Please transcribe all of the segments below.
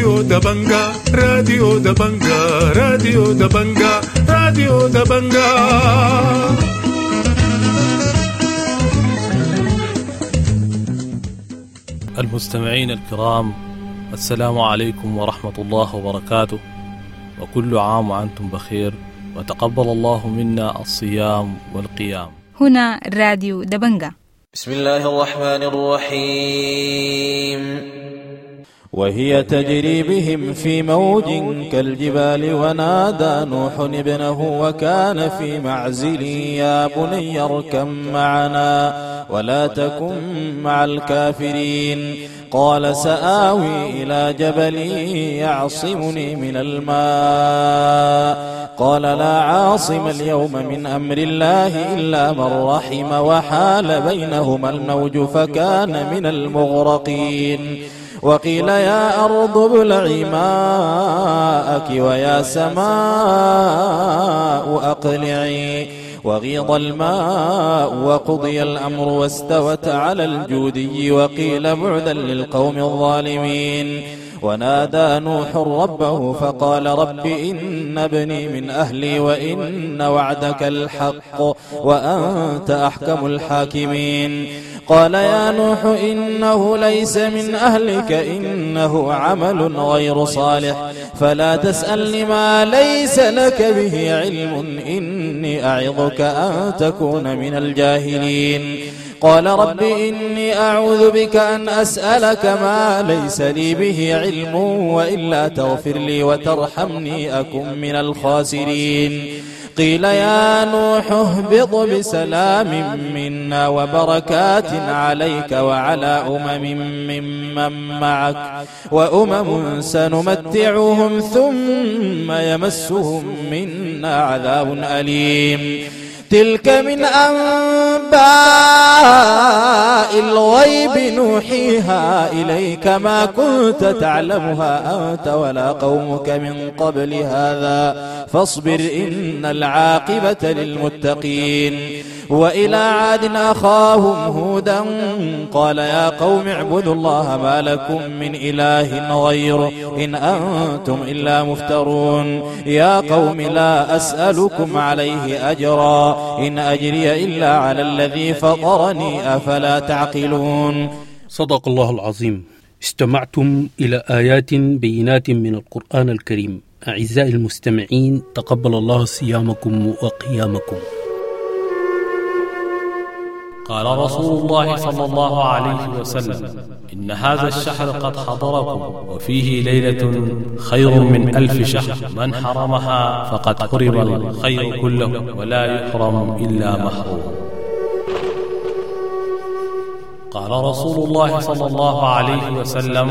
راديو دبنجا، راديو دبنجا، راديو دبنجا، راديو دبنجا. المستمعين الكرام، السلام عليكم ورحمة الله وبركاته، وكل عام وأنتم بخير، وتقبل الله منا الصيام والقيام. هنا راديو دبنجا. بسم الله الرحمن الرحيم. وهي تجري بهم في موج كالجبال، ونادى نوح ابنه وكان في معزل: يا بني اركب معنا ولا تكن مع الكافرين. قال: سآوي إلى جبل يعصمني من الماء. قال: لا عاصم اليوم من أمر الله إلا من رحم، وحال بينهما الموج فكان من المغرقين. وقيل يا أرض ابلعي ماءك ويا سماء أقلعي. وغيض الماء وقضي الأمر واستوت على الجودي، وقيل بعدا للقوم الظالمين. ونادى نوح ربه فقال: رب إن ابني من أهلي وإن وعدك الحق وأنت أحكم الحاكمين. قال: يا نوح إنه ليس من أهلك، إنه عمل غير صالح، فلا تسألني ما ليس لك به علم، إني أعظك أن تكون من الجاهلين. قال: رب إني أعوذ بك أن أسألك ما ليس لي به علم، وإلا تغفر لي وترحمني أكن من الخاسرين. قيل يا نوح اهبط بسلام منا وبركات عليك وعلى أمم ممن معك، وأمم سنمتعهم ثم يمسهم منا عذاب أليم. تلك من أنباء الغيب نوحيها إليك، ما كنت تعلمها أنت ولا قومك من قبل هذا، فاصبر إن العاقبة للمتقين. وإلى عاد أخاهم هودا قال: يا قوم اعبدوا الله ما لكم من إله غيره، إن أنتم إلا مفترون. يا قوم لا أسألكم عليه أجرا، إن أجري إلا على الذي فطرني، أفلا تعقلون. صدق الله العظيم. استمعتم إلى آيات بينات من القرآن الكريم. أعزائي المستمعين، تقبل الله صيامكم وقيامكم. قال رسول الله صلى الله عليه وسلم: إن هذا الشهر قد حضركم، وفيه ليلة خير من 1000 شهر، من حرمها فقد حرم الخير كله، ولا يحرم إلا محروم. قال رسول الله صلى الله عليه وسلم: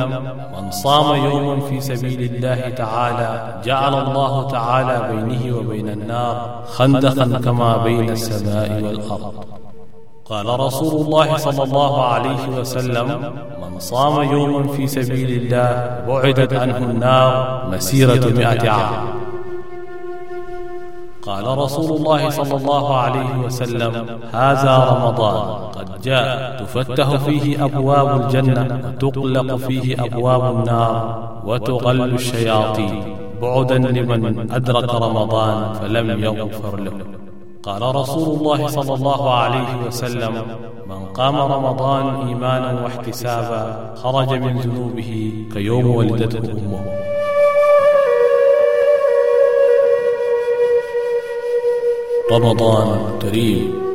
من صام يوما في سبيل الله تعالى جعل الله تعالى بينه وبين النار خندقا كما بين السماء والأرض. قال رسول الله صلى الله عليه وسلم: من صام يوما في سبيل الله بعدت عنه النار مسيرة 100 عام. قال رسول الله صلى الله عليه وسلم: هذا رمضان قد جاء، تفتح فيه أبواب الجنة وتغلق فيه أبواب النار وتغل الشياطين، بعدا لمن أدرك رمضان فلم يغفر له. قال رسول الله صلى الله عليه وسلم: من قام رمضان إيمانا واحتسابا خرج من ذنوبه كيوم ولدته أمه. رمضان كريم.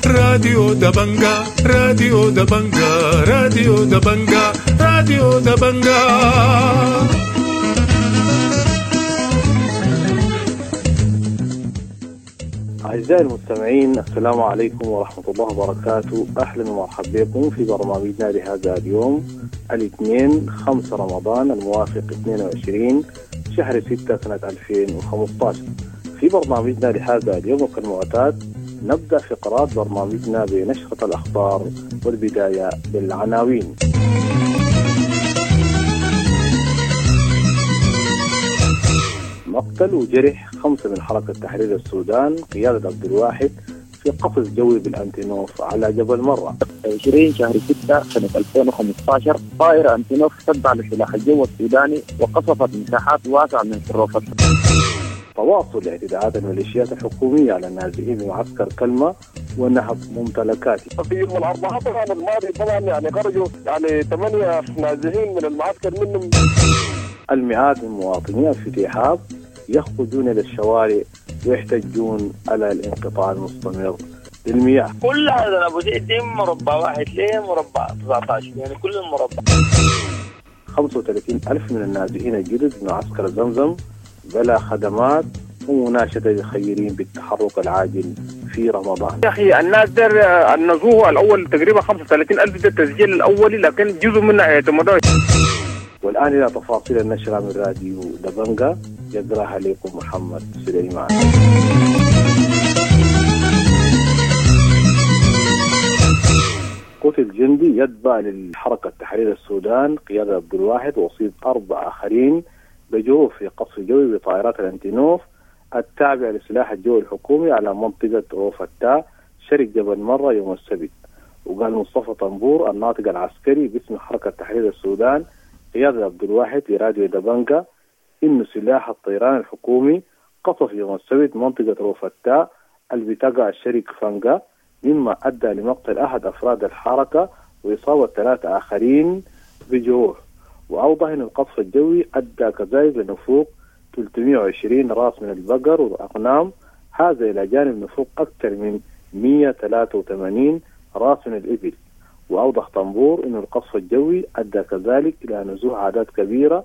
راديو دبنجا، راديو دبنجا، راديو دبنجا، راديو دبنجا. أعزائي المستمعين، السلام عليكم ورحمة الله وبركاته. أهلا ومرحبا بكم في برنامجنا لهذا اليوم الاثنين 5 رمضان الموافق 22 شهر 6 سنة 2015. في برنامجنا لهذا اليوم وكالمعتاد نبدأ فقرات برنامجنا بنشرة الأخبار والبداية بالعناوين. مقتل وجرح 5 من حركة تحرير السودان قيادة عبد الواحد في قفز جوي بالأنتينوف على جبل مرة. 20 شهر 6 سنة 2015 طائرة أنتينوف تتبع لسلاح الجو السوداني وقصفت مساحات واسعة من حروفة. تواصل اعتداءات الميليشيات الحكومية على النازحين بمعسكر كلمة ونهب ممتلكاته. في يوم الأربعاء طبعا الماضي طبعا يعني خرجوا يعني 8 نازحين من المعسكر منهم. المئات من مواطني الفتيحاب يخرجون إلى الشوارع ويحتجون على الانقطاع المستمر للمياه. كل هذا أبو زيد مربع واحد ليه مربع 19 يعني كل المربع. 35 ألف من النازحين الجدد من معسكر زمزم بلا خدمات ومناشدة للخيرين بالتحرك العاجل في رمضان. يا أخي الناس در النزوه الأول تقريبا 35 ألف ده التسجيل الأولي، لكن جزء منها اعتمدوا. والآن إلى تفاصيل النشرة من راديو دبنجا يقرأها لكم محمد سليمان. قتل جندي يتبع للحركة تحرير السودان قيادة عبد الواحد وأصيب 4 آخرين بجروح في قصف جوي بطائرات الأنتينوف التابعة لسلاح الجو الحكومي على منطقة روفتا شرق جبل مرة يوم السبت. وقال مصطفى طنبور الناطق العسكري باسم حركة تحرير السودان قيادة عبد الواحد لراديو دبنجا إنه سلاح الطيران الحكومي قصف يوم السبت منطقة روفتا اللي بتقع شرق فانجا، مما أدى لمقتل أحد أفراد الحركة وإصابة 3 آخرين بجروح. وأوضح أن القصف الجوي أدى كذلك لنفوق 320 راس من البقر والأغنام، هذا إلى جانب نفوق أكثر من 183 راس من الإبل. وأوضح طنبور أن القصف الجوي أدى كذلك إلى نزوح أعداد كبيرة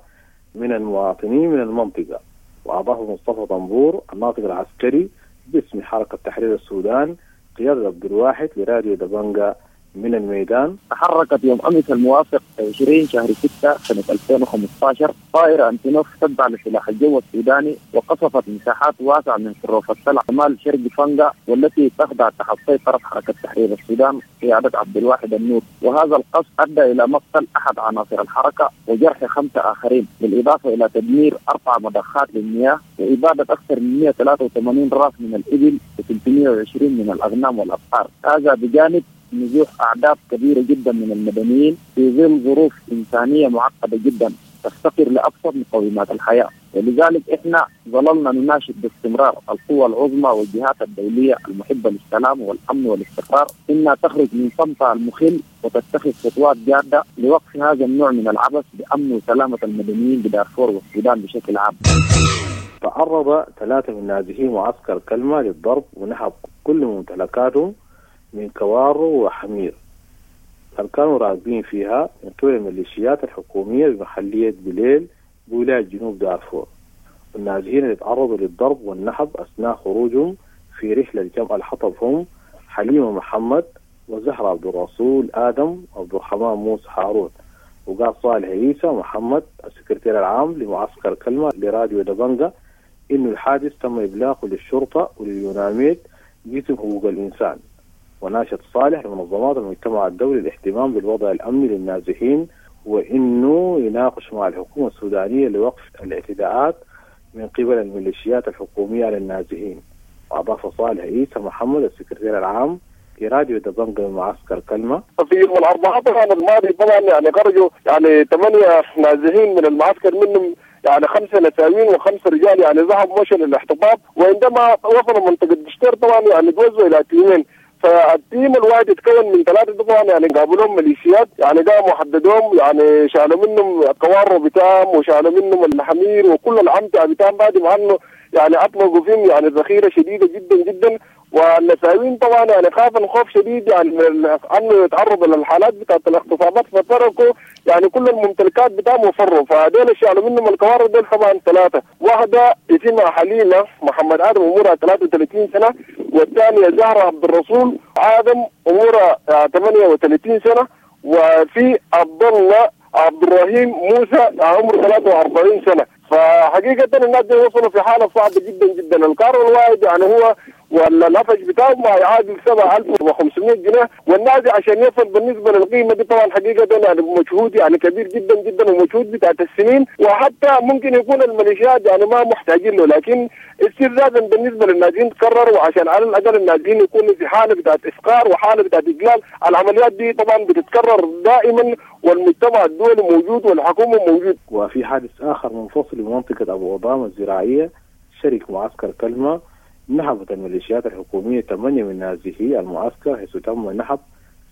من المواطنين من المنطقة. وأضاف مصطفى طنبور الناطق العسكري باسم حركة تحرير السودان قيادة عبد الواحد لراديو دبنجا من الميدان: تحركت يوم أمس الموافق 20 شهر 6 سنة 2015 طائرة أنتينوف تتبع لسلاح الجو السوداني وقصفت مساحات واسعة من حروف السلع شمال شرق فانجا والتي تخضع تحت سيطرة حركة تحرير السودان قيادة عبد الواحد النور. وهذا القصف أدى إلى مقتل أحد عناصر الحركة وجرح 5 آخرين، بالإضافة إلى تدمير 4 مضخات للمياه وإبادة أكثر من 183 راس من الإبل و320 من الأغنام والأبقار. هذا بجانب نزوح أعداد كبيرة جدا من المدنيين في ظل ظروف إنسانية معقدة جدا تفتقر لأبسط مقومات الحياة. ولذلك إحنا ظللنا نناشد باستمرار القوى العظمى والجهات الدولية المحبة للسلام والأمن والاستقرار إنها تخرج من صمتها المخل وتتخذ خطوات جادة لوقف هذا النوع من العبث بأمن وسلامة المدنيين بدارفور والسودان بشكل عام. تعرض 3 من نازحي معسكر كلمة للضرب ونهب كل ممتلكاتهم من كوارو وحمير كانوا راكبين فيها من قبل الميليشيات الحكومية بمحلية بليل بولاية جنوب دارفور. النازحين اللي تعرضوا للضرب والنهب أثناء خروجهم في رحلة جمع الحطب هم حليمة محمد وزهرة عبد الرسول آدم وعبد الرحمن موسى هارون. وقال صالح عيسى محمد السكرتير العام لمعسكر كلمة لراديو دبنجا إنه الحادث تم إبلاغه للشرطة ولليوناميد قسم حقوق الإنسان. وناشد صالح لمنظمات المجتمع الدولي الاهتمام بالوضع الأمني للنازحين وإنه يناقش مع الحكومة السودانية لوقف الاعتداءات من قبل الميليشيات الحكومية على النازحين. وأضاف صالح عيسى محمد السكرتير العام لراديو دبنجا من معسكر كلمة: في يوم الأربعاء طبعا الماضي طبعا يعني خرجوا يعني 8 نازحين من المعسكر، منهم يعني 5 نساوين و5 رجال يعني ذهبوا مشوا للاحتطاب، وعندما وصلوا منطقة دشتير طبعا يعني توزعوا إلى تيمين. فال team الواحد يتكون من 3 طبعا يعني قابلوهم ميليشيات يعني قاموا حددوهم يعني شالوا منهم الكوارو بتاعهم وشالوا منهم الحمير وكل العمتة بتاعهم، بعد ما انه يعني اطلقوا فيهم يعني ذخيره شديده جدا جدا. والنساوين طبعا يعني خافوا خوف شديد يعني انه يتعرضوا للحالات بتاعت الاغتصابات، فتركوا يعني كل الممتلكات بتاعهم وفروا. فدول شالوا منهم الكوارو دول طبعا 3، واحده اسمها حليمه محمد ادم عمرها 33 سنه، والثانيه زهره عبد الرسول ادم عمرها 38 سنه، وفي عبد الله عبد الرحيم موسى عمره 43 سنه. فحقيقة الناس دي وصلوا في حالة صعبة جدا جدا. الكارو الواحد يعني هو ولا النفج بتاعه ما يعادل 7500 جنيه، والنادي عشان يصل بالنسبة للقيمة دي طبعا حقيقة يعني مجهود يعني كبير جدا جدا ومجهود بتاعت السنين، وحتى ممكن يكون الميليشيات يعني ما محتاجين له، لكن استفزازا بالنسبة للناديين تكرر، وعشان على الاقل الناديين يكونوا في حاله بتاعت افقار وحاله بتاعت اجلال. العمليات دي طبعا بتتكرر دائما، والمجتمع الدولي موجود والحكومة موجود. وفي حادث اخر منفصل بمنطقة ابو غضام الزراعية شريك معسكر كلمة، نهبت الميليشيات الحكومية 8 من نازحي المعسكر، حيث تم نهب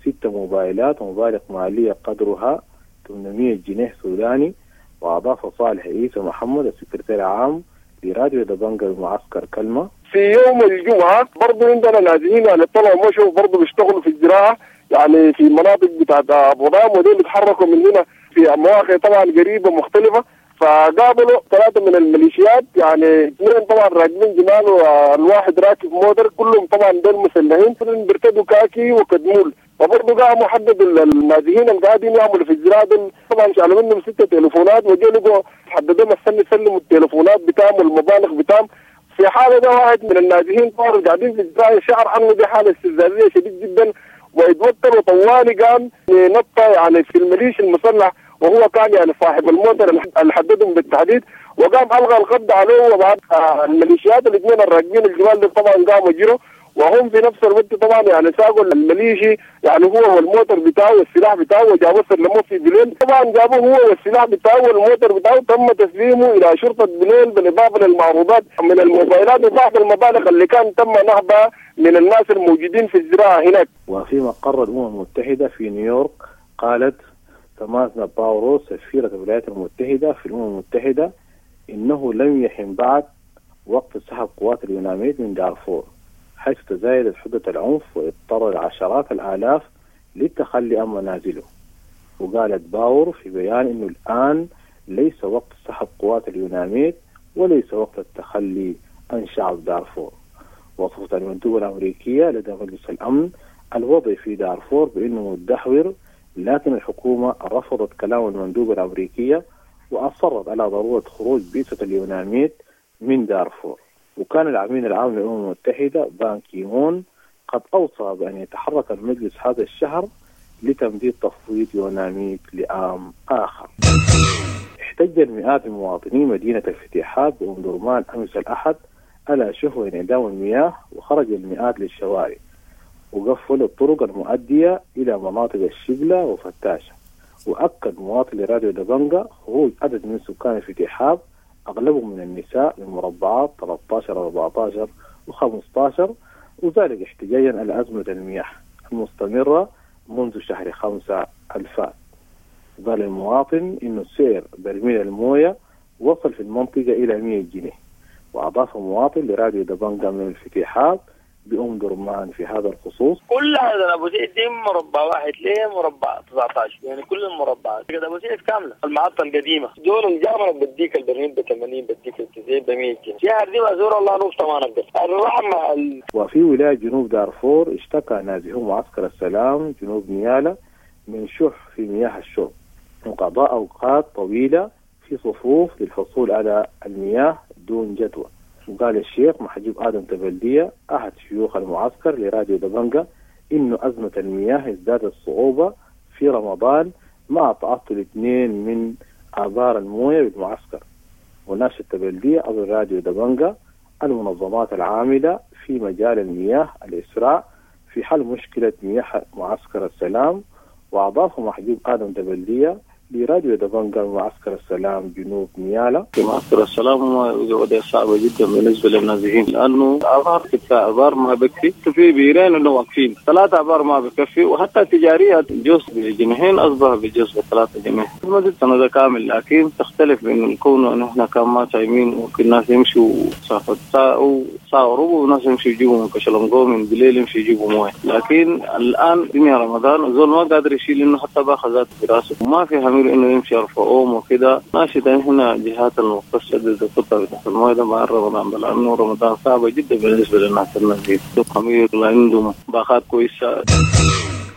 6 موبايلات ومبالغ مالية قدرها 800 جنيه سوداني. وأضاف صالح عيسى محمد السكرتير العام لراديو دبنجا بمعسكر كلمة: في يوم الجمعة برضو عندنا نازحين يعني طلعوا مشوا برضو بيشتغلوا في الزراعة يعني في مناطق بتاعت أبو غضام، ودول يتحركوا من هنا في مواقع طبعا قريبة مختلفة. فقابلوا 3 من الميليشيات، يعني 2 طبعا راكبين جمال والواحد راكب موتر، كلهم طبعا دول مسلحين بيرتدوا كاكي وكدمول. وبرضه قاموا حددوا النازحين اللي قاعدين يعملوا في الزراعة دول، طبعا شالوا منهم 6 تليفونات وجوا لقوا حددوا السنة سلموا التليفونات بتاعهم والمبالغ بتاعهم. في حاله ده واحد من النازحين طبعا قاعدين في الزراعة شعر انه دي حاله استفزازيه شديد جدا ويتوتر، وطوالي قام نط يعني في الميليشيا المسلح، وهو كان يعني صاحب الموتر اللي حددهم بالتحديد، وقام الغى القبض عليه. وبعد الميليشيات الاثنين الراكبين الجمال دي طبعا قاموا جروا، وهم في نفس الوقت طبعا يعني ساقوا الميليشي يعني هو والموتر بتاعه والسلاح بتاعه وجابوه سلموه في بليل. طبعا جابوه هو والسلاح بتاعه والموتر بتاعه، تم تسليمه الى شرطه بليل بالاضافة للمعروضات من الموبايلات وبعض المبالغ اللي كان تم نهبها من الناس الموجودين في الزراعة هناك. وفي مقر الامم المتحدة في نيويورك قالت سامانثا باور سفيرة الولايات المتحدة في الأمم المتحدة إنه لم يحن بعد وقت سحب قوات اليوناميد من دارفور، حيث تزايدت حدة العنف واضطر عشرات الآلاف للتخلي عن منازله. وقالت باور في بيان إنه الآن ليس وقت سحب قوات اليوناميد وليس وقت التخلي عن شعب دارفور. وصفت المندوبة الأمريكية لدى مجلس الأمن الوضع في دارفور بأنه متدهور، لكن الحكومة رفضت كلام المندوبة الأمريكية وأصرت على ضرورة خروج بعثة اليوناميد من دارفور. وكان الأمين العام للأمم المتحدة بان كيمون قد أوصى بأن يتحرك المجلس هذا الشهر لتمديد تفويض يوناميد لعام آخر. احتج المئات من مواطني مدينة الفتيحاب بأم درمان أمس الأحد على شهوة انعدام المياه، وخرج المئات للشوارع وقفلوا الطرق المؤدية إلى مناطق الشبلة وفتاشة. وأكد مواطن لراديو دبنجا خروج عدد من سكان الفتيحاب أغلبهم من النساء من مربعات 13 و14 و15، وذلك احتجاجا على أزمة المياه المستمرة منذ شهر 5 الفات. قال المواطن إنه سعر برميل الموية وصل في المنطقة إلى 100 جنيه. وأضاف مواطن لراديو دبنجا من الفتيحاب بأم درمان في هذا الخصوص: كل هذا أبو زيد دي مربع واحد ليه مربع 19، يعني كل المربعات كده أبو زيد كاملة. المحطة القديمة دول الجامعة بديك البرميل ب 80 بديك 90 ب 100 جنيه، شهر دي مزور الله نقطة ما نقدر الرحمة. وفي ولاية جنوب دارفور اشتكى نازحو معسكر السلام جنوب نيالا من شح في مياه الشرب وقضاء أوقات طويلة في صفوف للحصول على المياه دون جدوى. وقال الشيخ محجوب آدم تبلدية أحد شيوخ المعسكر لراديو دبنجا إنه أزمة المياه ازدادت صعوبة في رمضان مع تعطل 2 من آبار الموية بالمعسكر. وناشد تبلدية أبو راديو دبنجا المنظمات العاملة في مجال المياه الإسراع في حل مشكلة مياه معسكر السلام. وأضاف محجوب آدم تبلدية لراديو دبنجا معسكر السلام جنوب نيالا: في معسكر السلام وضع صعبة جدا بالنسبة للنازحين، لأنه آبار 6 آبار ما بكفي، في بيرين إنه واقفين 3 آبار ما بكفي، وحتى تجارية جوز بجنيهين أصبح بجوز ب3 جنيه. ما زلت سنة كامل، لكن تختلف بين كونه إنه إحنا كان ما صايمين، ممكن الناس يمشوا مسافة ساعة وساعة وربع، وناس يمشوا يجيبوا من كشلنقو من بالليل يمشوا يجيبوا مويه. لكن الآن دنيا رمضان وزول ما قادر يشيل إنه حتى باخذات في راسه، وما في همير انه يمشي يرفعوهم وكده. ماشي هنا جهات المختصة الخطة بتاعت المويه ده مع رمضان، لانه رمضان صعبة جدا بالنسبة للناس النازحين، خمير عندهم باخات كويسة.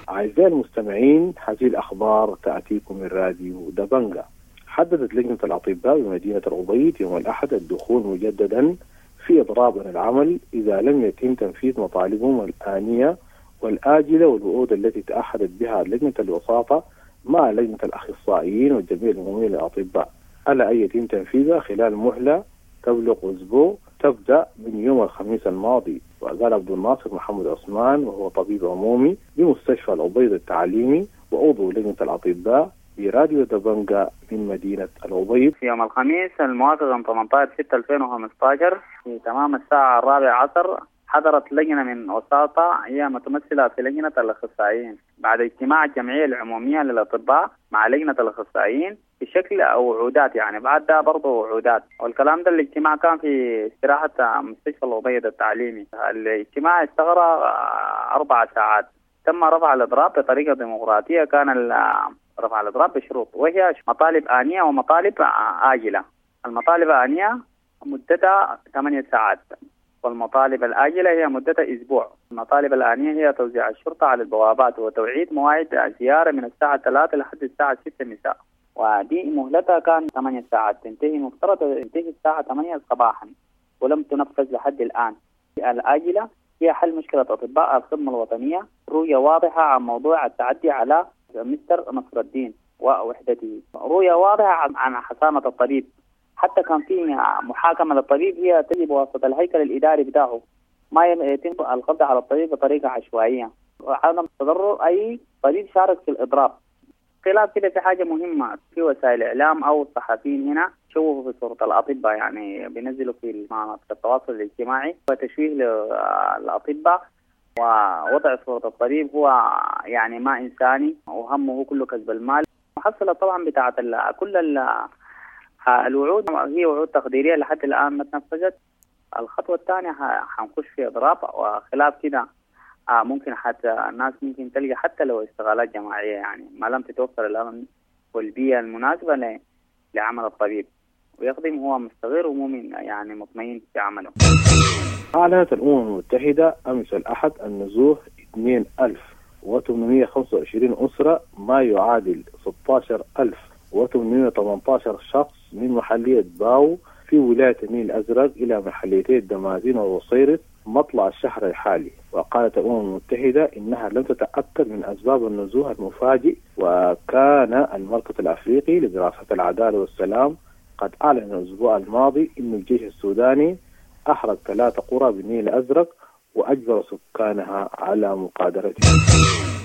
اعزائي المستمعين، هذه الاخبار تاتيكم من راديو دبنجا. حددت لجنة الأطباء بمدينة الأبيض يوم الأحد الدخول مجددا في إضراب عن العمل إذا لم يتم تنفيذ مطالبهم الآنية والآجلة والوعود التي تأحدت بها لجنة الوساطة مع لجنة الأخصائيين والجمعية العمومية للأطباء، على أن يتم تنفيذها خلال مهلة تبلغ أسبوع تبدأ من يوم الخميس الماضي. وقال عبد الناصر محمد عثمان، وهو طبيب عمومي بمستشفى الأبيض التعليمي وعضو لجنة الأطباء، براديو دبنجا من مدينة الأبيض: في يوم الخميس الموافق 18/6/2015 في تمام الساعة 4 عصر حضرت لجنة من وساطة هي متمثلة في لجنة الأخصائيين بعد اجتماع الجمعية العمومية للأطباء مع لجنة الأخصائيين بشكل أو وعودات، يعني بعد ده برضه وعودات والكلام ده. الاجتماع كان في استراحة مستشفى الأبيض التعليمي. الاجتماع استغرق 4 ساعات. تم رفع الإضراب بطريقة ديمقراطية. كان رفع الإضراب بشروط، وهي مطالب آنية ومطالب آجلة. المطالب الآنية مدتها 8 ساعات، والمطالب الآجلة هي مدتها أسبوع. المطالب الآنية هي توزيع الشرطة على البوابات وتوعيد مواعيد زيارة من الساعة 3 لحد الساعة 6 مساء، ودي مهلتها كان 8 ساعات، تنتهي مفترض تنتهي الساعة 8 صباحا، ولم تنفذ لحد الآن. الآجلة هي حل مشكلة أطباء الخدمة الوطنية، رؤية واضحة عن موضوع التعدي على مستر نصر الدين ووحدته، رؤية واضحة عن حصانة الطبيب. حتى كان في محاكمة للطبيب هي تجي بواسطة الهيكل الإداري بتاعه، ما يتم القبض على الطبيب بطريقة عشوائية، وعدم تضرر أي طبيب شارك في الإضراب. خلاف كده في حاجة مهمة، في وسائل الإعلام أو الصحفيين هنا شوهوا في صورة الأطباء، يعني بينزلوا في مناطق التواصل الاجتماعي وتشويه للأطباء ووضع صورة الطبيب هو يعني ما إنساني وهمه كله كسب المال. محصلة طبعا بتاعت كل الوعود هي وعود تقديرية لحد الآن ما تنفذت. الخطوة الثانية حنخش في إضراب، وخلاف كده ممكن حتى الناس ممكن تلقى حتى لو استغلالات جماعية، يعني ما لم تتوفر الأمن والبيئة المناسبة لعمل الطبيب ويخدم هو مستغير ومؤمن يعني مطمئن في عمله. أعلنت الأمم المتحدة أمس الأحد أن نزوح 2825 أسرة ما يعادل 16818 شخص من محلية باو في ولاية النيل الأزرق إلى محليتي الدمازين ووصيرت مطلع الشهر الحالي. وقالت الأمم المتحدة إنها لم تتأكد من أسباب النزوح المفاجئ. وكان المركز الأفريقي لدراسة العدالة والسلام قد أعلن الأسبوع الماضي أن الجيش السوداني أحرق 3 قرى بالنيل الأزرق وأجبر سكانها على مغادرتها.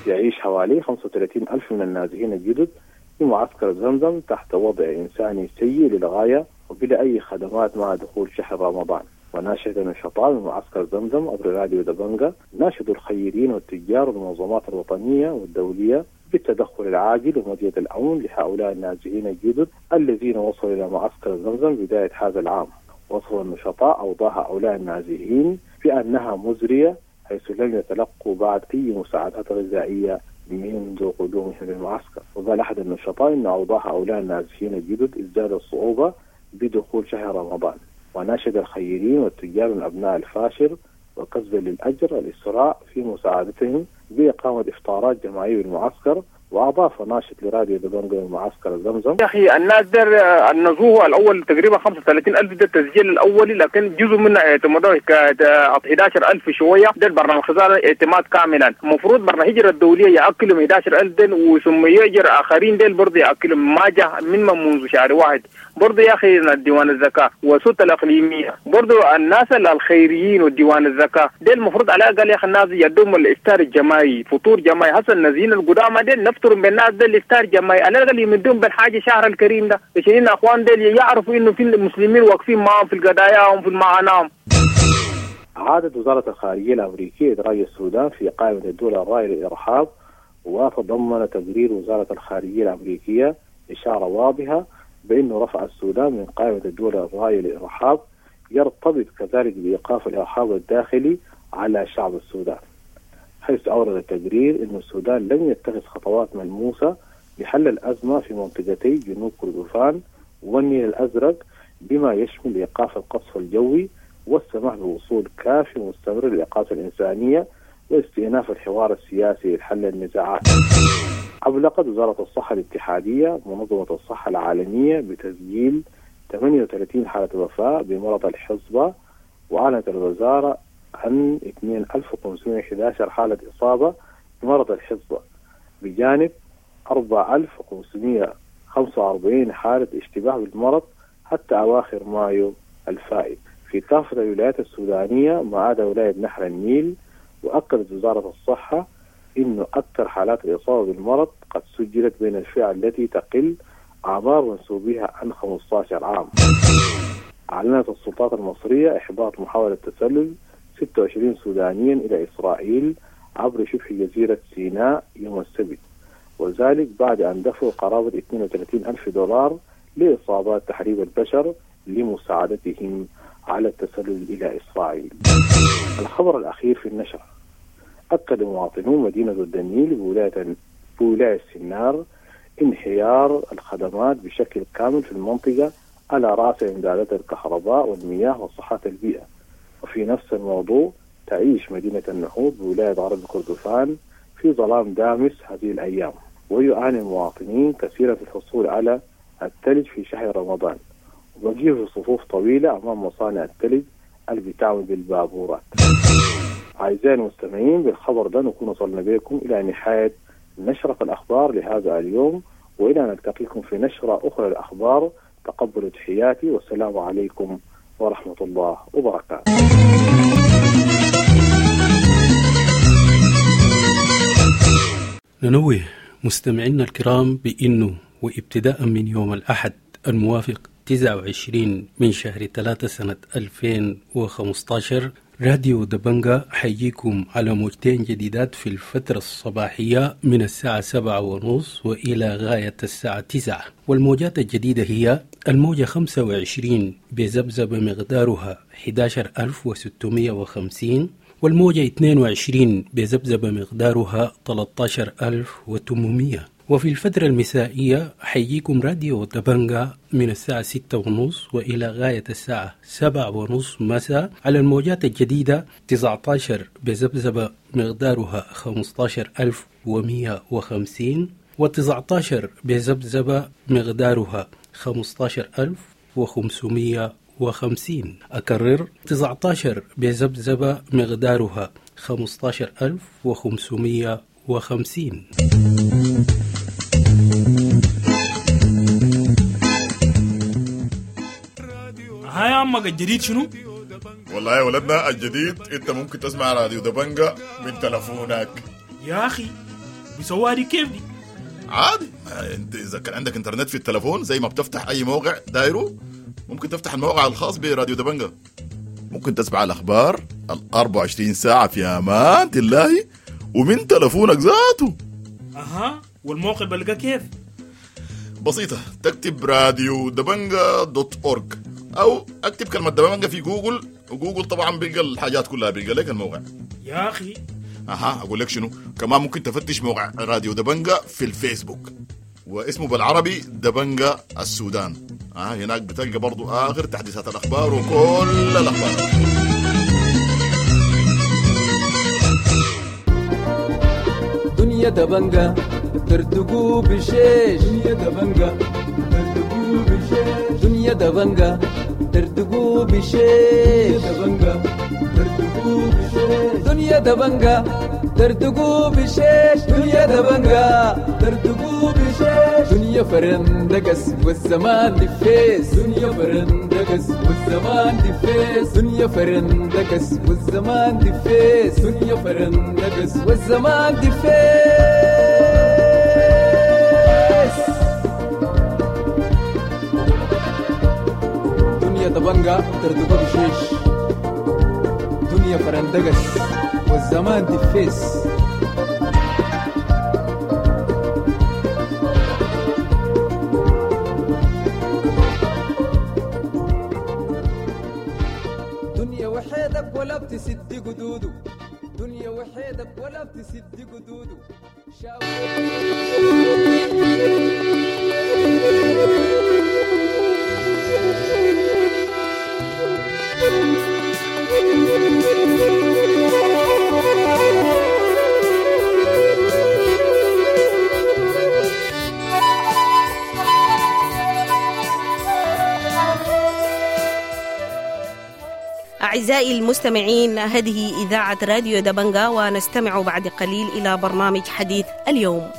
يعيش حوالي 35 ألف من النازحين الجدد في معسكر زمزم تحت وضع إنساني سيء للغاية وبلا أي خدمات مع دخول شهر رمضان. وناشد النشطاء من معسكر زمزم عبر راديو دبنجا ناشدوا الخيرين والتجار والمنظمات الوطنية والدولية بالتدخل العاجل ومدية الأمن لهؤلاء النازحين الجدد الذين وصلوا إلى معسكر زمزم بداية هذا العام. وصف النشطاء أوضاع هؤلاء النازحين بأنها مزرية حيث لم يتلقوا بعد أي مساعدات غذائية منذ قدومهم للمعسكر. وقال أحد النشطاء إن أوضاع هؤلاء النازحين الجدد ازدادت صعوبة بدخول شهر رمضان. وناشد الخيرين والتجار من أبناء الفاشر وكسبا للأجر الإسراء في مساعدتهم بإقامة إفطارات جماعية بالمعسكر. وأضاف ناشط لراديو دبنجا من معسكر زمزم: يا أخي الناس در النزوه الأول تقريبا 35,000 ده التسجيل الأولي، لكن جزء منه اعتمدوه ك 11,000 شوية. ده البرنامج خزانة اعتماد كاملا. المفروض برنامج الهجرة الدولية يأكلهم 11,000 دل وثم يأجر آخرين دل برضه يأكلهم ما جاء من منذ شهر واحد. برضه يا أخي الديوان الزكاة والسلطة الإقليمية برضه الناس الخيريين والديوان الزكاة دل المفروض على الأقل يا أخي الناس يدوم الإفطار الجماعي، فطور جماعي. هسه النازين القدامى دل نفطر بالناس ده الافطار جماعي، على الاقل يمدون بالحاجه شهر الكريم ده، عشان ان اخوان دول يعرفوا انه في المسلمين واقفين معهم في القضايا وفي المعاناه. عادت وزارة الخارجية الأمريكية إدراج السودان في قائمة الدول الراعية للإرهاب، وتضمن تقرير وزارة الخارجية الأمريكية إشارة واضحة بأنه رفع السودان من قائمة الدول الراعية للإرهاب يرتبط كذلك بإيقاف الإرهاب الداخلي على شعب السودان، حيث أورد التقرير أن السودان لم يتخذ خطوات ملموسة لحل الأزمة في منطقتي جنوب كردفان والنيل الأزرق، بما يشمل إيقاف القصف الجوي والسماح بوصول كافي ومستمر للإغاثة الإنسانية واستئناف الحوار السياسي لحل النزاعات. أبلغت وزارة الصحة الاتحادية منظمة الصحة العالمية بتسجيل 38 حالة وفاة بمرض الحصبة، وأعلنت الوزارة عن 2511 حالة إصابة بمرض الحصبة، بجانب 4545 حالة اشتباه بالمرض حتى أواخر مايو الفائت في كافة الولايات السودانية ما عدا ولاية نهر النيل. وأكدت وزارة الصحة إنه أكثر حالات الإصابة بالمرض قد سجلت بين الفئة التي تقل أعمار منسوبيها عن 15 عام. أعلنت السلطات المصرية إحباط محاولة تسلل 26 سودانيا إلى إسرائيل عبر شبه جزيرة سيناء يوم السبت، وذلك بعد أن دفعوا قرابة 32 ألف دولار لإصابات تحريب البشر لمساعدتهم على التسلل إلى إسرائيل. الخبر الأخير في النشرة: أكد مواطنو مدينة الدنيل بولاية السنار انهيار الخدمات بشكل كامل في المنطقة على رأس إمدادات الكهرباء والمياه وصحة البيئة. وفي نفس الموضوع، تعيش مدينة النهوض بولاية غرب كردفان في ظلام دامس هذه الأيام، ويعاني المواطنين كثيرا في الحصول على الثلج في شهر رمضان، وبقيه صفوف طويلة أمام مصانع الثلج اللي بتعمل بالبابورات. أعزائي المستمعين، بالخبر ده نكون وصلنا بكم إلى نهاية نشرة الأخبار لهذا اليوم، وإلى أن نلتقيكم في نشرة أخرى للأخبار. تقبلوا تحياتي، والسلام عليكم ورحمة الله وبركاته. ننوه مستمعينا الكرام بأنه وابتداء من يوم الأحد الموافق 29 من شهر 3 سنة 2015 راديو دبنجا حيجيكم على موجتين جديدات في الفترة الصباحية من الساعة 7:30 وإلى غاية الساعة 9. والموجات الجديدة هي الموجة 25 بذبذبة مقدارها 11650، والموجة 22 بذبذبة مقدارها 13800. وفي الفترة المسائية حيجيكم راديو دبنجا من الساعة 6:30 وإلى غاية الساعة 7:30 مساء على الموجات الجديدة 19 بذبذبة مقدارها 15150، و19 بذبذبة مقدارها 15550. أكرر، 19 بذبذبة مقدارها 15550. هاي عمك الجديد شنو؟ والله يا ولدنا الجديد انت ممكن تسمع راديو دبنجا من تلفونك. يا اخي بيسووها دي كيف دي؟ عادي، انت اذا كان عندك انترنت في التلفون زي ما بتفتح اي موقع دايره ممكن تفتح الموقع الخاص براديو دبنجا، ممكن تسمع الاخبار ال 24 ساعة في امان الله ومن تلفونك ذاته. اها، والموقع بلقى كيف؟ بسيطة، تكتب راديو دبنجا dot org او اكتب كلمة دبنجا في جوجل، وجوجل طبعا بيلقى الحاجات كلها، بيلقى لك الموقع. يا اخي اها، اقول لك شنو كمان، ممكن تفتش موقع راديو دبنجا في الفيسبوك واسمه بالعربي دبنجا السودان. هناك بتلقى برضو اخر تحديثات الاخبار وكل الاخبار. دنيا دبنجا ترتقو بشيش، دنيا دبنجا ترتقو بشيش، دنيا دبنجا ترتقو بشيش، دبنجا ترتقو بشيش، دنيا دبنجا ترتقو بشيش، دنيا دبنجا ترتقو بشيش، دنيا فرندقس والزمان دفيس، دنيا فرندقس والزمان دفيس، دنيا فرندقس والزمان دفيس، دنيا فرندقس والزمان دفيس. دنيا دبنجا ترتقو بشيش، دنيا فرندقس والزمان دفيس. دنيا وحيدك ولا بتسد قدوده، دنيا وحيدك ولا بتسد قدوده. أعزائي المستمعين، هذه إذاعة راديو دبنجا، ونستمع بعد قليل إلى برنامج حديث اليوم.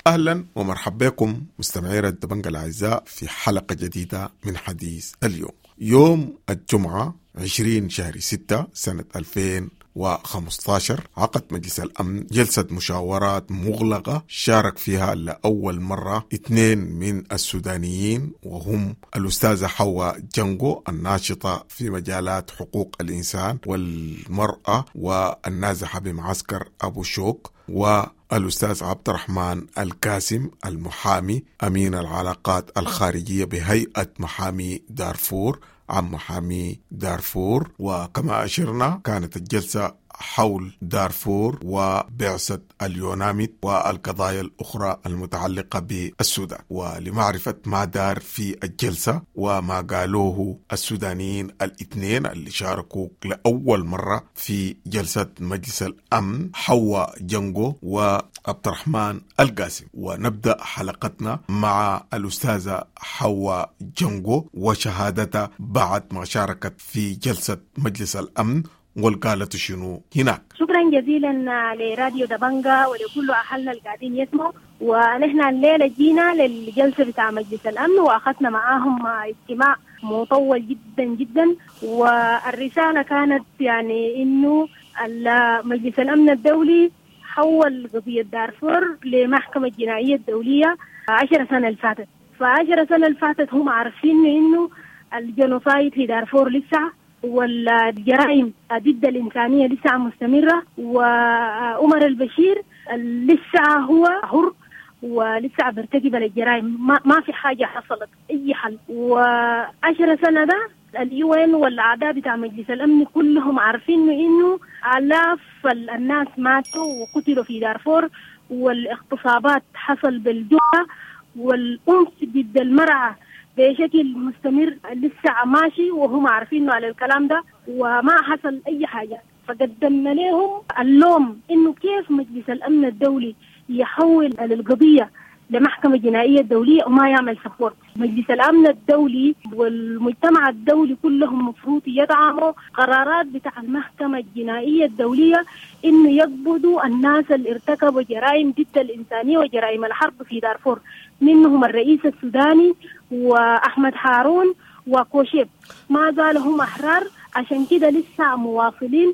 أهلا ومرحبا بكم مستمعي الدبنجة الأعزاء في حلقة جديدة من حديث اليوم، يوم الجمعة 20 شهر 6 سنة 2015. عقد مجلس الأمن جلسة مشاورات مغلقة شارك فيها لأول مرة 2 من السودانيين، وهم الأستاذة حواء جنجو الناشطة في مجالات حقوق الإنسان والمرأة والنازحة بمعسكر أبو شوك، والأستاذ عبد الرحمن الكاسم المحامي أمين العلاقات الخارجية بهيئة محامي دارفور عن محامي دارفور. وكما أشرنا كانت الجلسة حول دارفور وبعثة اليوناميد والقضايا الأخرى المتعلقة بالسودان. ولمعرفة ما دار في الجلسة وما قالوه السودانيين الاثنين اللي شاركوا لأول مرة في جلسة مجلس الأمن، حواء جنجو وعبد الرحمن القاسم. ونبدأ حلقتنا مع الأستاذة حواء جنجو وشهادتها بعد ما شاركت في جلسة مجلس الأمن والقالت شنو هناك. شكرا جزيلا لراديو دبنجا ولكل أهلنا القاعدين يسمعوا. ونحن الليلة جينا للجلسة بتاع مجلس الأمن وأخذنا معاهم اجتماع مطول جدا جدا، والرسالة كانت يعني إنه مجلس الأمن الدولي حول قضية دارفور لمحكمة الجنائية الدولية 10 سنة اللي فاتت. ف10 سنة اللي فاتت هم عارفين إنه ال genocide في دارفور لسه والجرائم ضد الإنسانية لسه مستمرة، وعمر البشير لسه هو حر ولسه بيرتكب الجرائم، ما في حاجة حصلت أي حل. و10 سنة ده ال UN والأعداء بتاع مجلس الأمن كلهم عارفين إنه آلاف الناس ماتوا وقتلوا في دارفور، والاغتصابات حصل بالجوع، والأنف ضد المرأة بشكل مستمر لسه ماشي، وهم عارفين على الكلام ده وما حصل أي حاجة. فقدمنا لهم اللوم إنه كيف مجلس الأمن الدولي يحول القضية لمحكمة جنائية دولية وما يعمل support. مجلس الأمن الدولي والمجتمع الدولي كلهم مفروض يدعموا قرارات بتاع المحكمة الجنائية الدولية إنه يقبضوا الناس اللي ارتكبوا جرائم ضد الإنسانية وجرائم الحرب في دارفور، منهم الرئيس السوداني وأحمد هارون وكوشيب. ما زالوا هم أحرار، عشان كده لسه مواصلين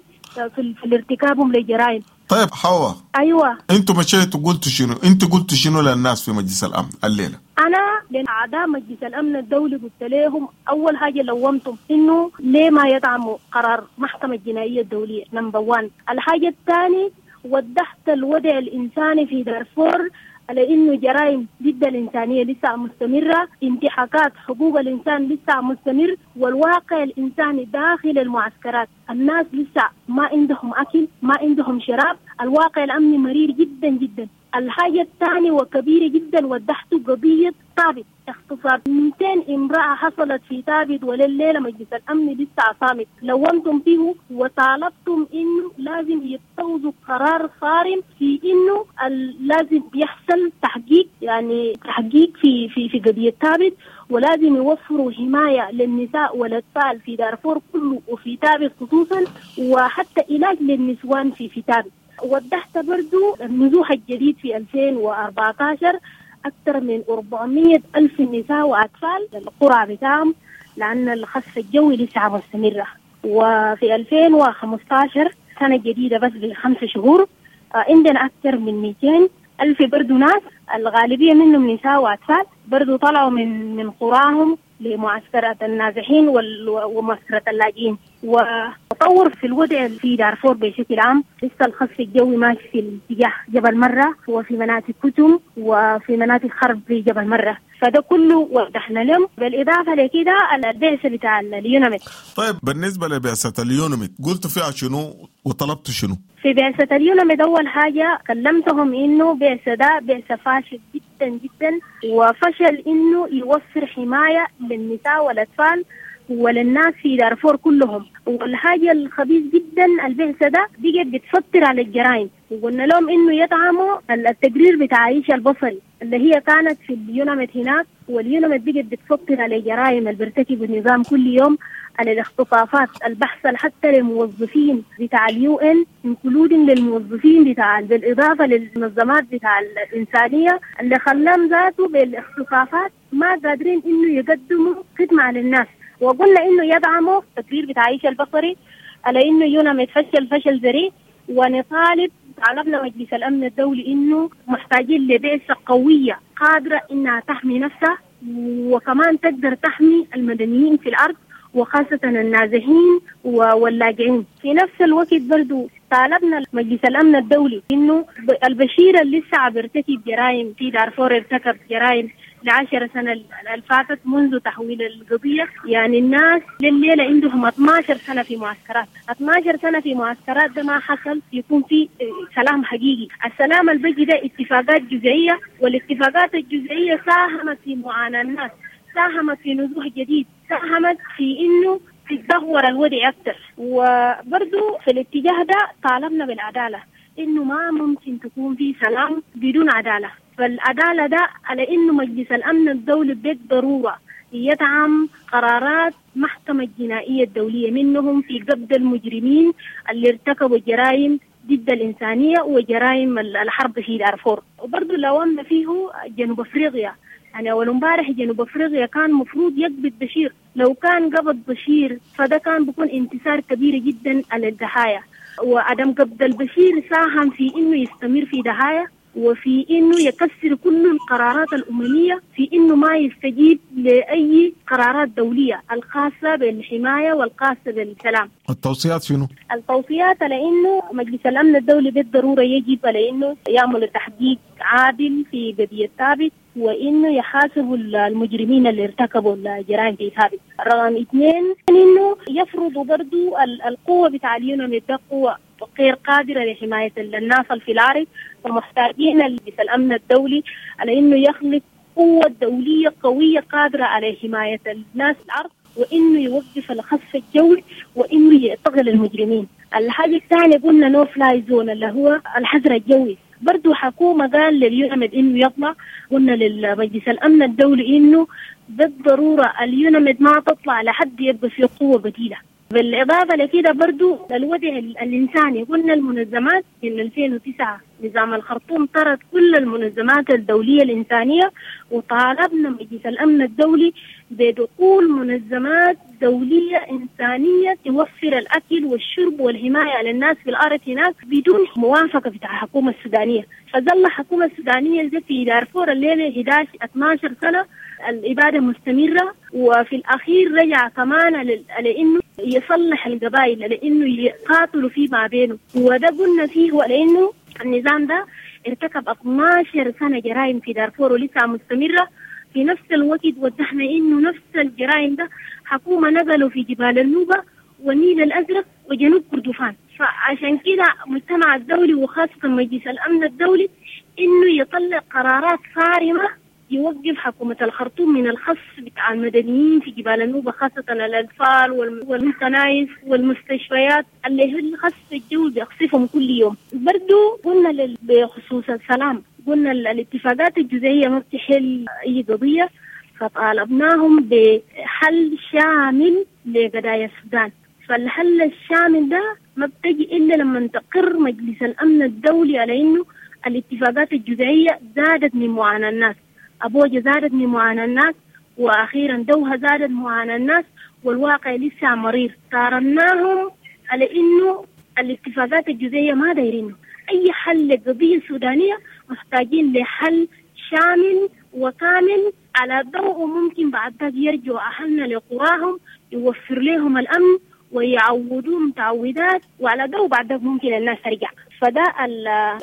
في الارتكابهم لجرائم. طيب حواء، ايوه، انتوا مشيتوا قلتوا شنو؟ انتوا قلتوا شنو للناس في مجلس الامن الليله؟ انا لاعداء مجلس الامن الدولي قلت لهم اول حاجه لومتهم انه ليه ما يدعموا قرار محكمه الجنائيه الدوليه number 1. الحاجه الثانيه وضحت الوضع الانساني في دارفور على انه جرائم ضد الانسانيه لسه مستمره، انتهاكات حقوق الانسان لسه مستمر، والواقع الانساني داخل المعسكرات الناس لسه ما عندهم اكل، ما عندهم شراب، الواقع الامني مرير جدا جدا. الحاجه الثانيه وكبيره جدا وضحت قضيه تابت، اغتصاب 200 امرأة حصلت في تابت، ولليلة مجلس الأمن لسه صامت. لومتم فيه وطالبتم إنه لازم يتخذوا قرار صارم في إنه لازم يحصل تحقيق، يعني تحقيق في في في قضية تابت، ولازم يوفروا حماية للنساء والأطفال في دارفور كله وفي تابت خصوصا، وحتى علاج للنسوان في تابت. وضحت برضو النزوح الجديد في 2014 أكثر من 400 ألف نساء وأطفال القرى بتاعهم لأن الخسف الجوي لسه مستمرة. وفي 2015 سنة جديدة بس ب5 شهور عندنا أكثر من 200 ألف برضو ناس، الغالبية منهم نساء وأطفال، برضو طلعوا من قراهم لمعسكرات النازحين ومعسكرات اللاجئين. وتطور في الوضع في دارفور بشكل عام، لسه الخصف الجوي ماشي في اتجاه جبل مرة وفي مناطق كتم وفي مناطق خرب في جبل مرة، فده كله وضحنا لهم. بالإضافة لكده البعثة بتاع اليوناميد. طيب بالنسبة لبعثة اليوناميد قلت فيها شنو وطلبت شنو؟ في بعثة اليوناميد أول حاجة كلمتهم إنه بعثة ده بعثة فاشل جدا جدا جدا، وفشل إنه يوفر حماية للنساء والأطفال وللناس في دارفور كلهم. والحاجة الخبيث جدا البعثة ده بقت بتفطر على الجرائم، وقلنا لهم إنه يدعموا التقرير بتاع عائشة البصري اللي هي كانت في اليوناميد هناك، واليوناميد بقت بتفطر على جرائم اللي بيرتكب النظام كل يوم، على الاختطافات البحث حتى للموظفين بتاع ال UN، including للموظفين بتاع، بالاضافه للمنظمات بتاع الانسانيه اللي خلاهم ذاته بالاختطافات ما قادرين انه يقدموا خدمه للناس. وقلنا انه يدعموا التقرير بتاع عائشة البصري على انه يوناميد فشل فشل ذريع، ونطالب طالبنا مجلس الامن الدولي انه محتاجين لبعثه قويه قادره انها تحمي نفسها، وكمان تقدر تحمي المدنيين في الارض وخاصة النازحين واللاجئين. في نفس الوقت برضو طالبنا مجلس الأمن الدولي إنه البشير اللي لسه بيرتكب جرائم في دارفور، ارتكب جرائم ل10 سنة اللي فاتت منذ تحويل القضية، يعني الناس لليلة عندهم 12 سنة في معسكرات، 12 سنة في معسكرات ده ما حصل يكون في سلام حقيقي. السلام اللي بيجي ده اتفاقات جزئية، والاتفاقات الجزئية ساهمت في معاناة الناس، ساهمت في نزوح جديد، ساهمت في إنه تدهور الوضع أكثر. وبرضو في الاتجاه ده طالبنا بالعدالة، إنه ما ممكن تكون في سلام بدون عدالة. فالعدالة ده على إنه مجلس الأمن الدولي بالضرورة يدعم قرارات محكمة الجنائية الدولية، منهم في قبض المجرمين اللي ارتكبوا جرائم ضد الإنسانية وجرائم الحرب في دارفور. وبرضو لومنا فيه جنوب أفريقيا، يعني أول امبارح جنوب أفريقيا كان مفروض يقبض بشير، لو كان قبض بشير فده كان بيكون انتصار كبير جدا على الضحايا. وعدم قبض البشير ساهم في إنه يستمر في ضحايا، وفي إنه يكسر كل القرارات الأممية، في إنه ما يستجيب لأي قرارات دولية الخاصة بالحماية والخاصة بالسلام. التوصيات شنو؟ التوصيات لأنه مجلس الأمن الدولي بالضرورة يجب لأنه يعمل تحقيق عادل في قضية ثابت، وإنه يحاسبوا المجرمين اللي ارتكبوا الجرائم في ثابت. رقم 2 إنه يفرضوا برضو القوة بتاع اليوناميد ده قوة غير قادرة لحماية الناس في الأرض، ومحتاجين مجلس الأمن الدولي على إنه يخلق قوة دولية قوية قادرة على حماية الناس في الأرض، وإنه يوقف الخصف الجوي، وإنه يعتقل المجرمين. الحاجة الثانية قلنا no fly zone اللي هو الحظر الجوي. برضو حكومة قال لليوناميد إنه يطلع، قلنا للمجلس الأمن الدولي إنه بالضرورة اليوناميد ما تطلع لحد يبقى في قوة بديلة. بالإضافة لكده برضو الوضع الإنساني، قلنا المنظمات من 2009 نظام الخرطوم طرد كل المنظمات الدولية الإنسانية، وطالبنا مجلس الأمن الدولي بدخول منظمات دولية إنسانية توفر الأكل والشرب والحماية للناس في الأرض هناك بدون موافقة بتاع الحكومة السودانية. فظل الحكومة السودانية في دارفور الليلة 11 12 سنة الإبادة مستمرة، وفي الأخير رجع كمان لأنه يصلح القبائل، لأنه يقاتلوا فيما بينه. وده قلنا فيه لأنه النظام ده ارتكب 12 سنة جرائم في دارفور ولسه مستمرة. في نفس الوقت وضحنا إنه نفس الجرائم ده حكومة نزلوا في جبال النوبة والنيل الأزرق وجنوب كردفان. فعشان كده المجتمع الدولي وخاصة مجلس الأمن الدولي إنه يطلع قرارات صارمة يوقف حكومة الخرطوم من الخصف بتاع المدنيين في جبال النوبة، خاصة الأطفال والكنائس والمستشفيات اللي هي الخصف الجوي بيقصفهم كل يوم. برضو قلنا بخصوص السلام، قلنا الاتفاقات الجزئية ما بتحل أي قضية، فطالبناهم بحل شامل لقضايا السودان. فالحل الشامل ده ما بتجي إلا لما تقر مجلس الأمن الدولي على إنه الاتفاقات الجزئية زادت من معاناة الناس، أبوجا زادت من معاناة الناس، وأخيرا دوها زادت معاناة الناس، والواقع لسه مرير. قارناهم على إنه الاتفاقات الجزئية ما دايرينه أي حل للقضية السودانية، محتاجين لحل شامل وكامل على ضوء ممكن بعد ذلك يرجعوا أهلنا لقراهم، يوفر لهم الأمن ويعودوهم تعويضات، وعلى ضوء بعد ذلك ممكن الناس ترجع. فده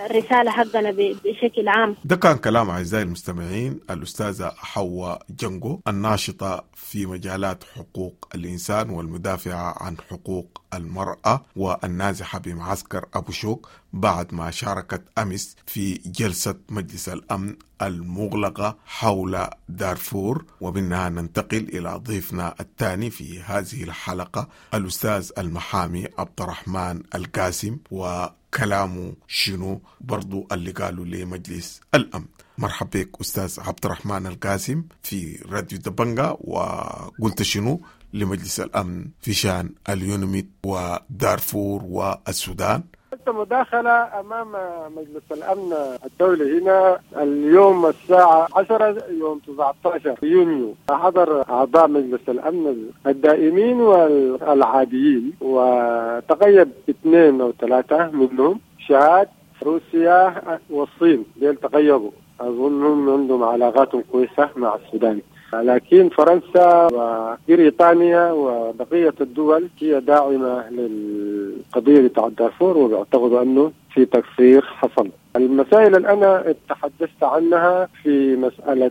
الرسالة حقنا بشكل عام. ده كان كلام أعزائي المستمعين الأستاذة حواء جنجو، الناشطة في مجالات حقوق الإنسان والمدافعة عن حقوق المرأة والنازحة بمعسكر أبو شوك، بعد ما شاركت أمس في جلسة مجلس الأمن المغلقة حول دارفور. ومنها ننتقل إلى ضيفنا الثاني في هذه الحلقة، الأستاذ المحامي عبد الرحمن القاسم، وكلامه شنو برضو اللي قالوا لمجلس الأمن. مرحبا بك أستاذ عبد الرحمن القاسم في راديو دبنجا، وقلت شنو لمجلس الأمن في شان اليونميت ودارفور والسودان؟ مداخلة أمام مجلس الأمن الدولي هنا اليوم الساعة 10 يوم 19 يونيو. حضر أعضاء مجلس الأمن الدائمين والعاديين، وتغيب 2 أو 3 منهم، شاد، روسيا والصين، ديل تغيبوا، أظنهم عندهم علاقات كويسة مع السودان. لكن فرنسا وبريطانيا وبقية الدول هي داعمة للقضية بتاع دارفور، وبيعتقدوا أنه في تقصير حصل. المسائل اللي أنا تحدثت عنها في مسألة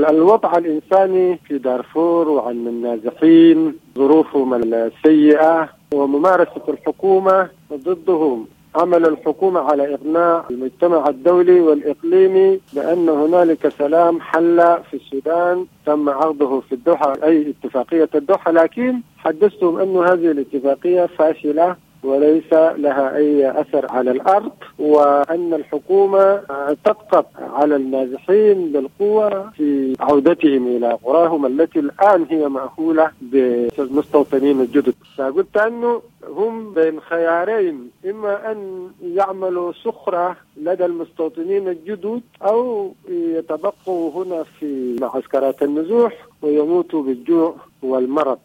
الوضع الإنساني في دارفور وعن النازحين، ظروفهم السيئة وممارسة الحكومة ضدهم، عمل الحكومة على إقناع المجتمع الدولي والإقليمي بأن هنالك سلام حل في السودان تم عرضه في الدوحة، أي اتفاقية الدوحة، لكن حدثتهم أن هذه الاتفاقية فاشلة وليس لها أي أثر على الأرض، وأن الحكومة تضغط على النازحين بالقوة في عودتهم إلى قراهم التي الآن هي مأهولة بالمستوطنين الجدد. فقلت أنه هم بين خيارين، إما أن يعملوا سخرة لدى المستوطنين الجدد أو يتبقوا هنا في معسكرات النزوح ويموتوا بالجوع والمرض.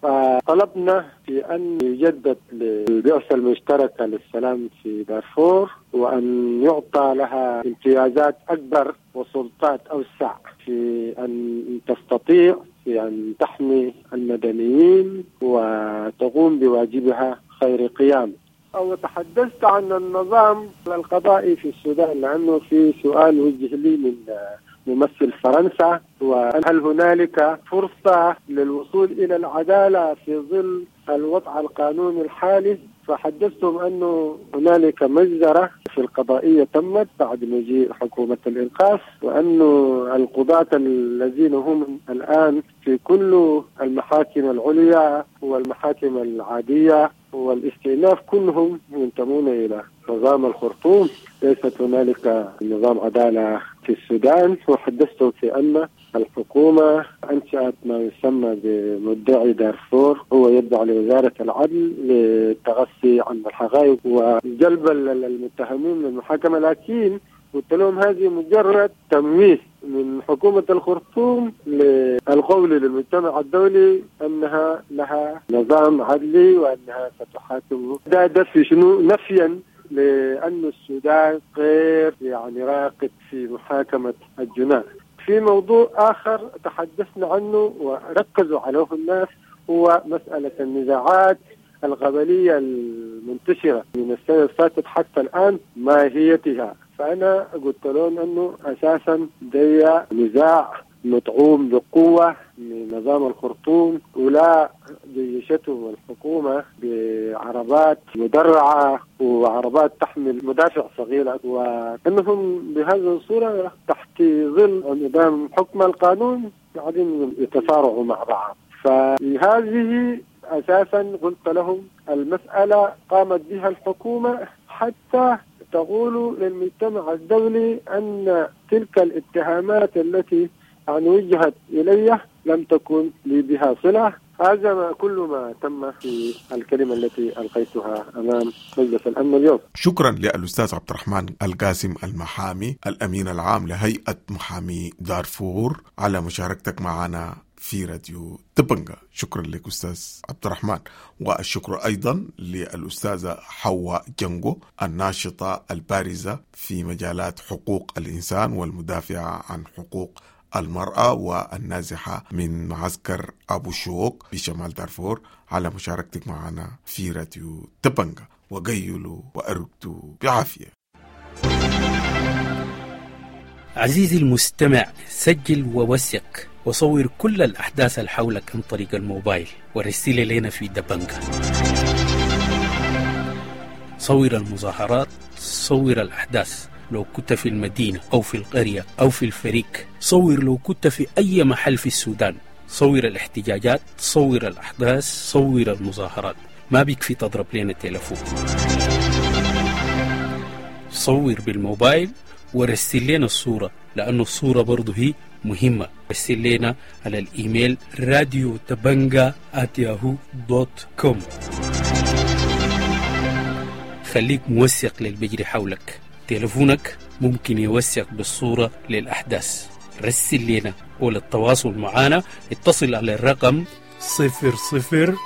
فطلبنا في أن يجدد للبعثة المشتركة للسلام في دارفور، وأن يعطى لها امتيازات أكبر وسلطات أوسع في أن تستطيع في أن تحمي المدنيين وتقوم بواجبها خير قيام. أو تحدثت عن النظام القضائي في السودان، لأنه في سؤال وجه لي من ممثل فرنسا، وهل هنالك فرصة للوصول إلى العدالة في ظل الوضع القانوني الحالي؟ فحدثتهم أنه هنالك مجزرة في القضائية تمت بعد مجيء حكومة الإنقاذ، وأن القضاة الذين هم الآن في كل المحاكم العليا والمحاكم العادية والاستئناف كلهم ينتمون إلى نظام الخرطوم، ليست هنالك نظام عدالة في السودان. وحدثتهم في أن الحكومة أنشأت ما يسمى بمدعي دارفور، هو يتبع لوزارة العدل للتغصي عن الحقائق وجلب المتهمين للمحاكمة، لكن قلت لهم هذه مجرد تمويه من حكومة الخرطوم للقول للمجتمع الدولي أنها لها نظام عدلي وأنها ستحاكم. ده في شنو؟ نفيا لأن السودان غير يعني راقد في محاكمة الجناة. في موضوع آخر تحدثنا عنه وركزوا عليه الناس، هو مسألة النزاعات القبلية المنتشرة من السنة الفاتت حتى الآن، ماهيتها. فأنا قلت لهم أنه أساسا دي نزاع مطعوم بقوة من نظام الخرطوم، ولا جيشته الحكومة بعربات مدرعة وعربات تحمل مدافع صغيرة، وأنهم بهذه الصورة تحت ظل نظام حكم القانون قاعدين يتصارعوا مع بعض. فهذه أساسا قلت لهم المسألة قامت بها الحكومة حتى تقول للمجتمع الدولي أن تلك الاتهامات التي يعني وجهت إلي لم تكن لي بها صلة. هذا ما كل ما تم في الكلمة التي ألقيتها أمام مجلس الأمن اليوم. شكرا للأستاذ عبد الرحمن القاسم المحامي الأمين العام لهيئة محامي دارفور على مشاركتك معنا في راديو دبنجا. شكرا لك أستاذ عبد الرحمن، والشكر أيضا للأستاذة حواء جنجو الناشطة البارزة في مجالات حقوق الإنسان والمدافعة عن حقوق المرأة والنازحة من معسكر أبو شوك بشمال دارفور على مشاركتك معنا في راديو دبنجا. وقيلوا وأرقدوا بعافية. عزيزي المستمع، سجل ووثق وصور كل الأحداث اللي حولك عن طريق الموبايل ورسل لنا في دبنجة. صور المظاهرات، صور الأحداث لو كنت في المدينة أو في القرية أو في الفريق، صور لو كنت في أي محل في السودان، صور الاحتجاجات، صور الأحداث، صور المظاهرات. ما بيكفي تضرب لنا تلفون، صور بالموبايل ورسل لنا الصورة، لأنه الصورة برضو هي مهمة. رسل لنا على الإيميل radiodabanga@yahoo.com. خليك موثق للبجري حولك، تلفونك ممكن يوثق بالصورة للأحداث. رسل لنا، وللتواصل معنا اتصل على الرقم 00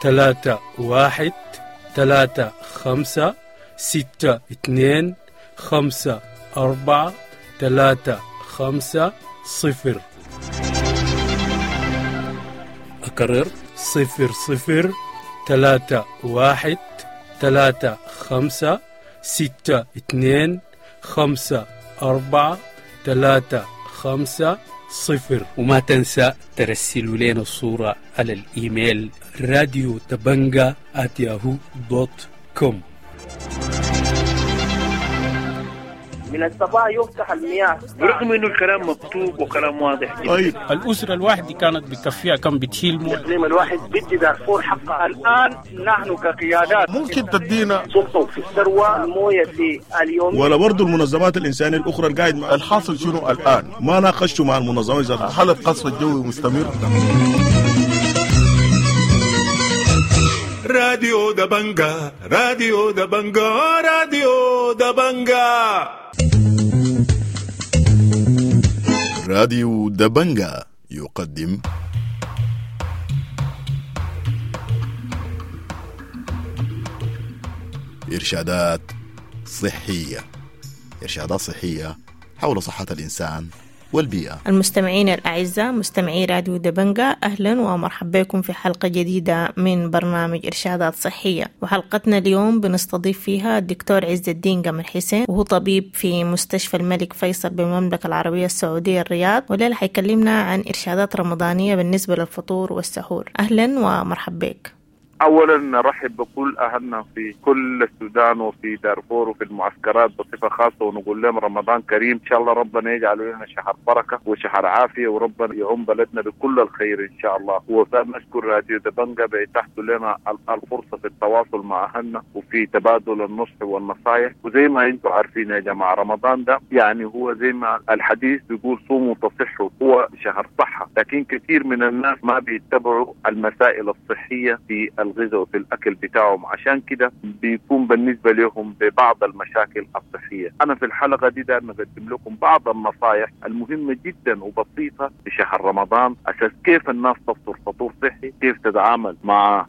3 1 3 5 6 2 5 4 3 5 0. أكرر 0 0 3 1 3 5 6 2 5 4 3 5 0. وما تنسى ترسلوا لنا الصورة على الإيميل radiodabanga@yahoo.com. من الصباح يفتح المياه برغم انه الكلام مكتوب وكلام واضح جدا. طيب الاسرة الواحدة كانت بكفيها كم بتشيل مويه؟ الاقليم الواحد بدي دارفور حقها. الان نحن كقيادات ممكن تدينا سلطة في الثروة المويه في اليوم، ولا برضه المنظمات الانسانية الاخرى القاعد مع الحاصل شنو الان؟ ما ناقشتوا مع المنظمات ذاتها. هل القصف الجوي مستمر؟ راديو دبنجا، راديو دبنجا، راديو دبنجا. راديو دبنجا يقدم إرشادات صحية، إرشادات صحية حول صحة الإنسان والبيئة. المستمعين الأعزاء، مستمعي راديو دبنجا، أهلا ومرحبا بكم في حلقة جديدة من برنامج إرشادات صحية. وحلقتنا اليوم بنستضيف فيها الدكتور عز الدين قمر حسين، وهو طبيب في مستشفى الملك فيصل بالمملكة العربية السعودية الرياض، والليلة حيكلمنا عن إرشادات رمضانية بالنسبة للفطور والسحور. أهلا ومرحبا بك. أولا نرحب بكل أهلنا في كل السودان وفي دارفور وفي المعسكرات بصفة خاصة، ونقول لهم رمضان كريم إن شاء الله. ربنا يجعل لنا شهر بركة وشهر عافية، وربنا يعم بلدنا بكل الخير إن شاء الله. ونشكر راديو دبنجا بإتاحته لنا الفرصة في التواصل مع أهلنا وفي تبادل النصح والنصائح. وزي ما أنتم عارفين يا جماعة، رمضان ده يعني هو زي ما الحديث بيقول صوموا تصحوا، هو شهر صحة، لكن كثير من الناس ما بيتبعوا المسائل الصحية في الغذاء وفي الأكل بتاعهم، عشان كده بيكون بالنسبة لهم ببعض المشاكل الصحية. أنا في الحلقة دي دايما أقدم لكم بعض النصائح المهمة جدا وبسيطة في شهر رمضان، أساس كيف الناس تفطر فطور صحي، كيف تتعامل مع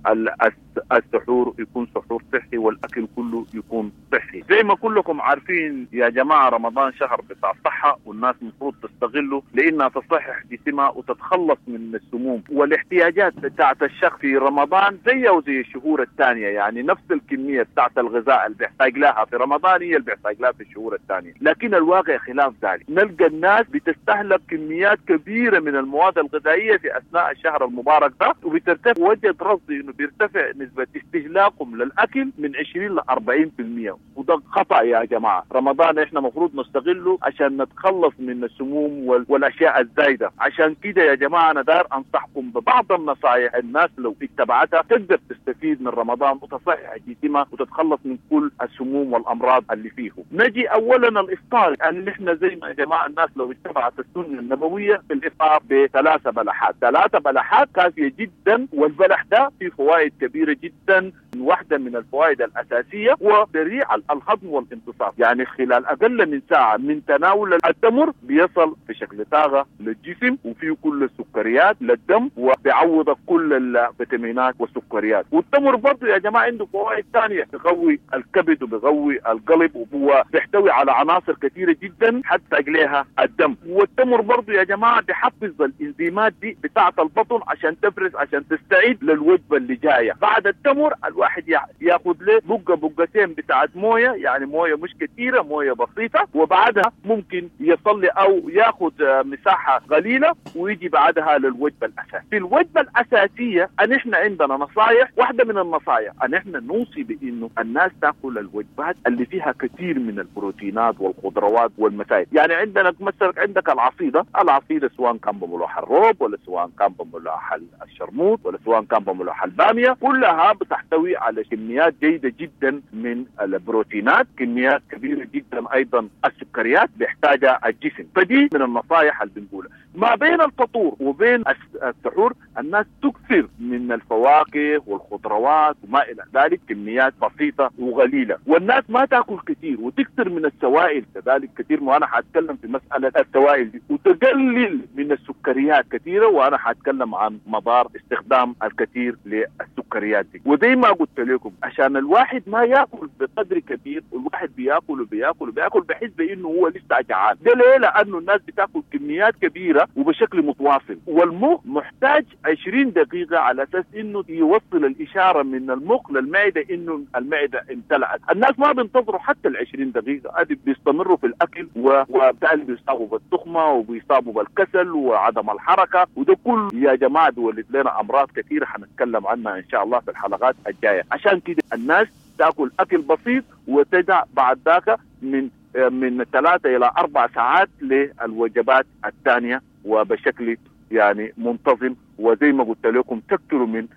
السحور يكون سحور صحي، والأكل كله يكون صحي. زي ما كلكم عارفين يا جماعة، رمضان شهر بتاع صحة، والناس المفروض تستغله لأنها تصحح جسمها وتتخلص من السموم والاحتياجات بتاعت الشخص في رمضان زي وزي الشهور الثانية. يعني نفس الكمية بتاعت الغذاء اللي بيحتاج لها في رمضان هي اللي بيحتاج لها في الشهور الثانية، لكن الواقع خلاف ذلك. نلقى الناس بتستهلك كميات كبيرة من المواد الغذائية في أثناء الشهر المبارك ده، وبترتفع وجد رصدي إنه بيرتفع نسبة استهلاكهم للأكل من 20 ل 40%، وده خطأ يا جماعة. رمضان إحنا مفروض نستغله عشان نتخلص من السموم والأشياء الزايدة. عشان كده يا جماعة أنا داير أنصحكم ببعض النصائح الناس لو اتبعتها تقدر تستفيد من رمضان وتصحح جسمها وتتخلص من كل السموم والأمراض اللي فيه. نجي أولا الإفطار، يعني نحن زي ما يا جماعة الناس لو اتبعت السنة النبوية في الإفطار ب3 بلحات، 3 بلحات كافية جدا، والبلح ده فيه فوائد كبيرة جدا. واحدة من الفوائد الأساسية هو سريع الهضم والامتصاص، يعني خلال أقل من ساعة من تناول التمر بيصل بشكل طاقة للجسم، وفيه كل السكريات للدم، وبيعوض كل الفيتامينات والسكريات. والتمر برضه يا جماعة عنده فوائد ثانية، بيقوي الكبد وبيقوي القلب، وهو بيحتوي على عناصر كثيرة جدا حتى أجليها الدم. والتمر برضه يا جماعة بيحفز الإنزيمات دي بتاعة البطن عشان تفرز، عشان تستعيد للوجبة اللي جاية. بعد التمر الواحد الواحد ياخذ له بقه بقتين بتاعت مويه، يعني مويه مش كثيرة، مويه بسيطة، وبعدها ممكن يصلي او ياخذ مساحة قليله ويجي بعدها للوجبه الاساسية. في الوجبة الاساسية ان احنا عندنا نصائح، واحدة من النصائح ان احنا نوصي بانه الناس تاكل الوجبات اللي فيها كثير من البروتينات والخضروات والمسائل. يعني عندنا مثلا عندك العصيده، العصيده سواء كان بملوح الروب ولا سواء كان بملوح الشرموط ولا سواء كان بملوح الباميه، كلها بتحتوي على كميات جيدة جدا من البروتينات، كميات كبيرة جدا ايضا السكريات بيحتاجها الجسم. فدي من النصائح اللي بنقولها. ما بين الفطور وبين السحور الناس تكثر من الفواكه والخضروات وما الى ذلك، كميات بسيطة وقليله، والناس ما تاكل كثير وتكثر من السوائل كذلك كثير، وانا حاتكلم في مسالة السوائل دي، وتقلل من السكريات كثيرة، وانا حاتكلم عن مضار استخدام الكثير للسكريات دي. وزي ما قلت لكم عشان الواحد ما ياكل بقدر كبير، والواحد بياكل وبياكل وبياكل بحس بانه هو لسه جعان. ده ليه؟ لانه الناس بتاكل كميات كبيرة وبشكل متواصل، والمخ محتاج 20 دقيقة على اساس انه يوصل الاشارة من المخ للمعدة انه المعدة امتلأت. الناس ما بينتظروا حتى ال 20 دقيقة، ادي بيستمروا في الاكل، وبالتالي بيصابوا بالتخمه وبيصابوا بالكسل وعدم الحركة، وده كله يا جماعة بيولد لنا امراض كثيرة حنتكلم عنها ان شاء الله في الحلقات الجاية. عشان كده الناس تاكل اكل بسيط وتدع بعد ذاك من 3 الى 4 ساعات للوجبات الثانية وبشكل يعني منتظم. وزي ما قلت لكم تكثروا من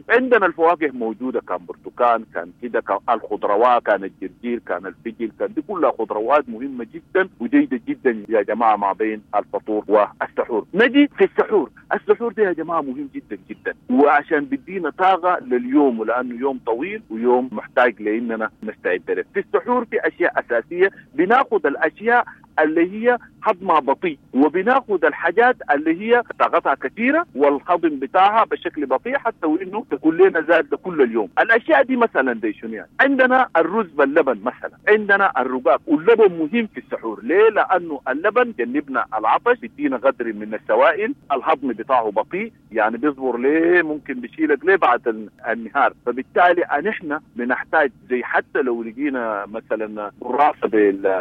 عندنا الفواكه موجودة، كان برتقال، كان كده، كان الخضروات، كان الجرجير، كان الفجل، كان دي كلها خضروات مهمة جدا وجيده جدا يا جماعة ما بين الفطور والسحور. نجي في السحور، السحور ده يا جماعة مهم جدا جدا، وعشان بيدينا طاقة لليوم، ولانه يوم طويل ويوم محتاج لاننا نستعد له. في السحور في اشياء اساسية، بناخذ الاشياء اللي هي هضمها بطيء، وبناخذ الحاجات اللي هي طاقتها كثيرة والهضم بتاعها بشكل بطيء حتى وانه تكون لنا زاد كل اليوم. الاشياء دي مثلا دي شنو يعني؟ عندنا الرز باللبن مثلا، عندنا الرقاق، واللبن مهم في السحور. ليه؟ لانه اللبن جنبنا العطش، بيدينا قدر من السوائل، الهضم بتاعه بطيء، يعني بيصبر ليه، ممكن بيشيلك ليه بعد النهار. فبالتالي نحن بنحتاج زي حتى لو لقينا مثلا قراصه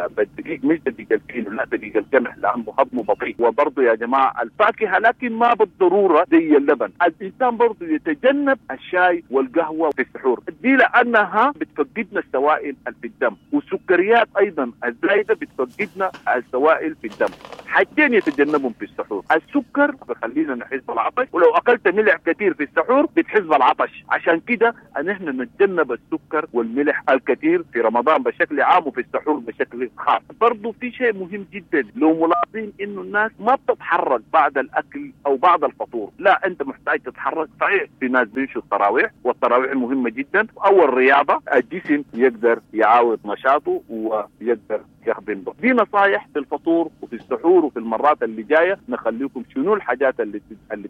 بالدقيق، مش دقيق الكيلو، لا دقيق القمح، لانه هضمه بطيء. وبرضه يا جماعة الفاكهة، لكن ما بالضرورة زي اللبن. الانسان برضه يتجنب الشاي والقهوة في السحور دي، لانها بتفقدنا السوائل في الدم، والسكريات ايضا الزايدة بتفقدنا السوائل في الدم. حاجتين يتجنبهم في السحور، السكر بخلينا نحس بالعطش، ولو اكلت ملح كثير في السحور بتحس بالعطش. عشان كده ان احنا نتجنب السكر والملح الكثير في رمضان بشكل عام وفي السحور بشكل خاص. برضه في شيء مهم جدا لو ملاحظين انه الناس ما بتتحرك بعد الاكل او بعد الفطور، لا انت محتاج تتحرك. صحيح في ناس بيمشوا التراويح، والتراويح مهمة جدا، او الرياضة، الجسم يقدر يعاود نشاطه ويقدر يخدم به. دي نصايح في الفطور وفي السحور، وفي المرات اللي جاية نخليكم شنو الحاجات اللي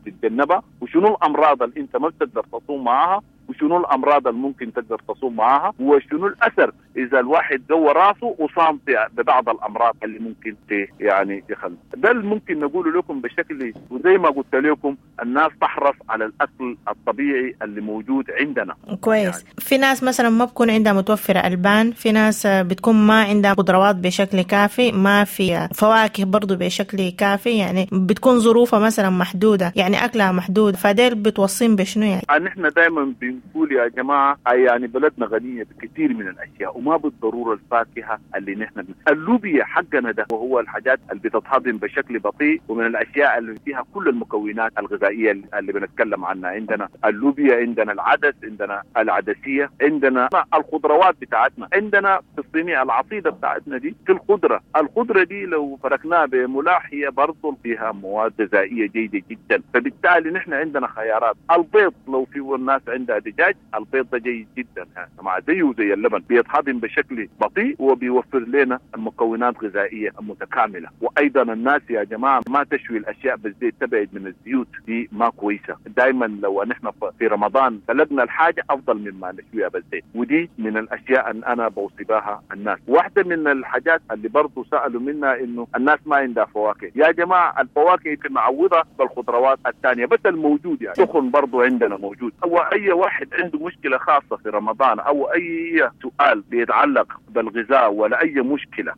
تتجنبها، وشنو الامراض اللي انت ما بتقدر تصوم معاها، وشنو الامراض اللي ممكن تقدر تصوم معاها، وشنو الاثر اذا الواحد جوه راسه وصام ببعض الامراض اللي ممكن يعني يخلي. ده اللي ممكن نقوله لكم بشكل، وزي ما قلت لكم الناس تحرص على الاكل الطبيعي اللي موجود عندنا. كويس يعني. في ناس مثلا ما بكون عندها متوفرة البان، في ناس بتكون ما عندها خضروات بشكل كافي، ما في فواكه برضو بشكل كافي، يعني بتكون ظروفها مثلا محدودة، يعني اكلها محدود، فديل بتوصين بشنو يعني؟ نحن دائما بنقول يا جماعة يعني بلدنا غنية بكثير من الاشياء، وما بالضرورة الفاكهة اللي نحن اللوبيا حقنا ده، وهو الحاجات اللي بتتهضم بشكل بطيء، ومن الاشياء اللي فيها كل المكونات الغذائية اللي بنتكلم عنها. عندنا اللوبيا، عندنا العدس، عندنا العدسيه، عندنا الخضروات بتاعتنا، عندنا في الصينية العصيده بتاعتنا دي في الخضرة، الخضرة دي لو فركناها بملاح هي برضه فيها مواد غذائية جيدة جدا. فبالتالي نحن عندنا خيارات. البيض لو في الناس عندها دجاج، البيض ده جيد جدا مع زيه زي اللبن، بيتهضم بشكل بطيء وبيوفر لنا المكونات الغذائية المتكاملة. وايضا الناس يا جماعة ما تشوي الاشياء بالزيت، تبعد من الزيوت دي ما كويسة. دائما لو نحن في رمضان سلقنا الحاجة افضل مما نشويها بالزيت، ودي من الاشياء ان انا بوصي بها الناس. واحدة من الحاجات اللي برضه سالوا منها انه الناس ما عندها فواكه. يا جماعة الفواكه يمكن نعوضها بالخضروات الثانية، بس الموجود يعني سخن برضه عندنا موجود. واي واحد واحد عنده مشكلة خاصة في رمضان أو أي سؤال بيتعلق بالغذاء ولا أي مشكلة،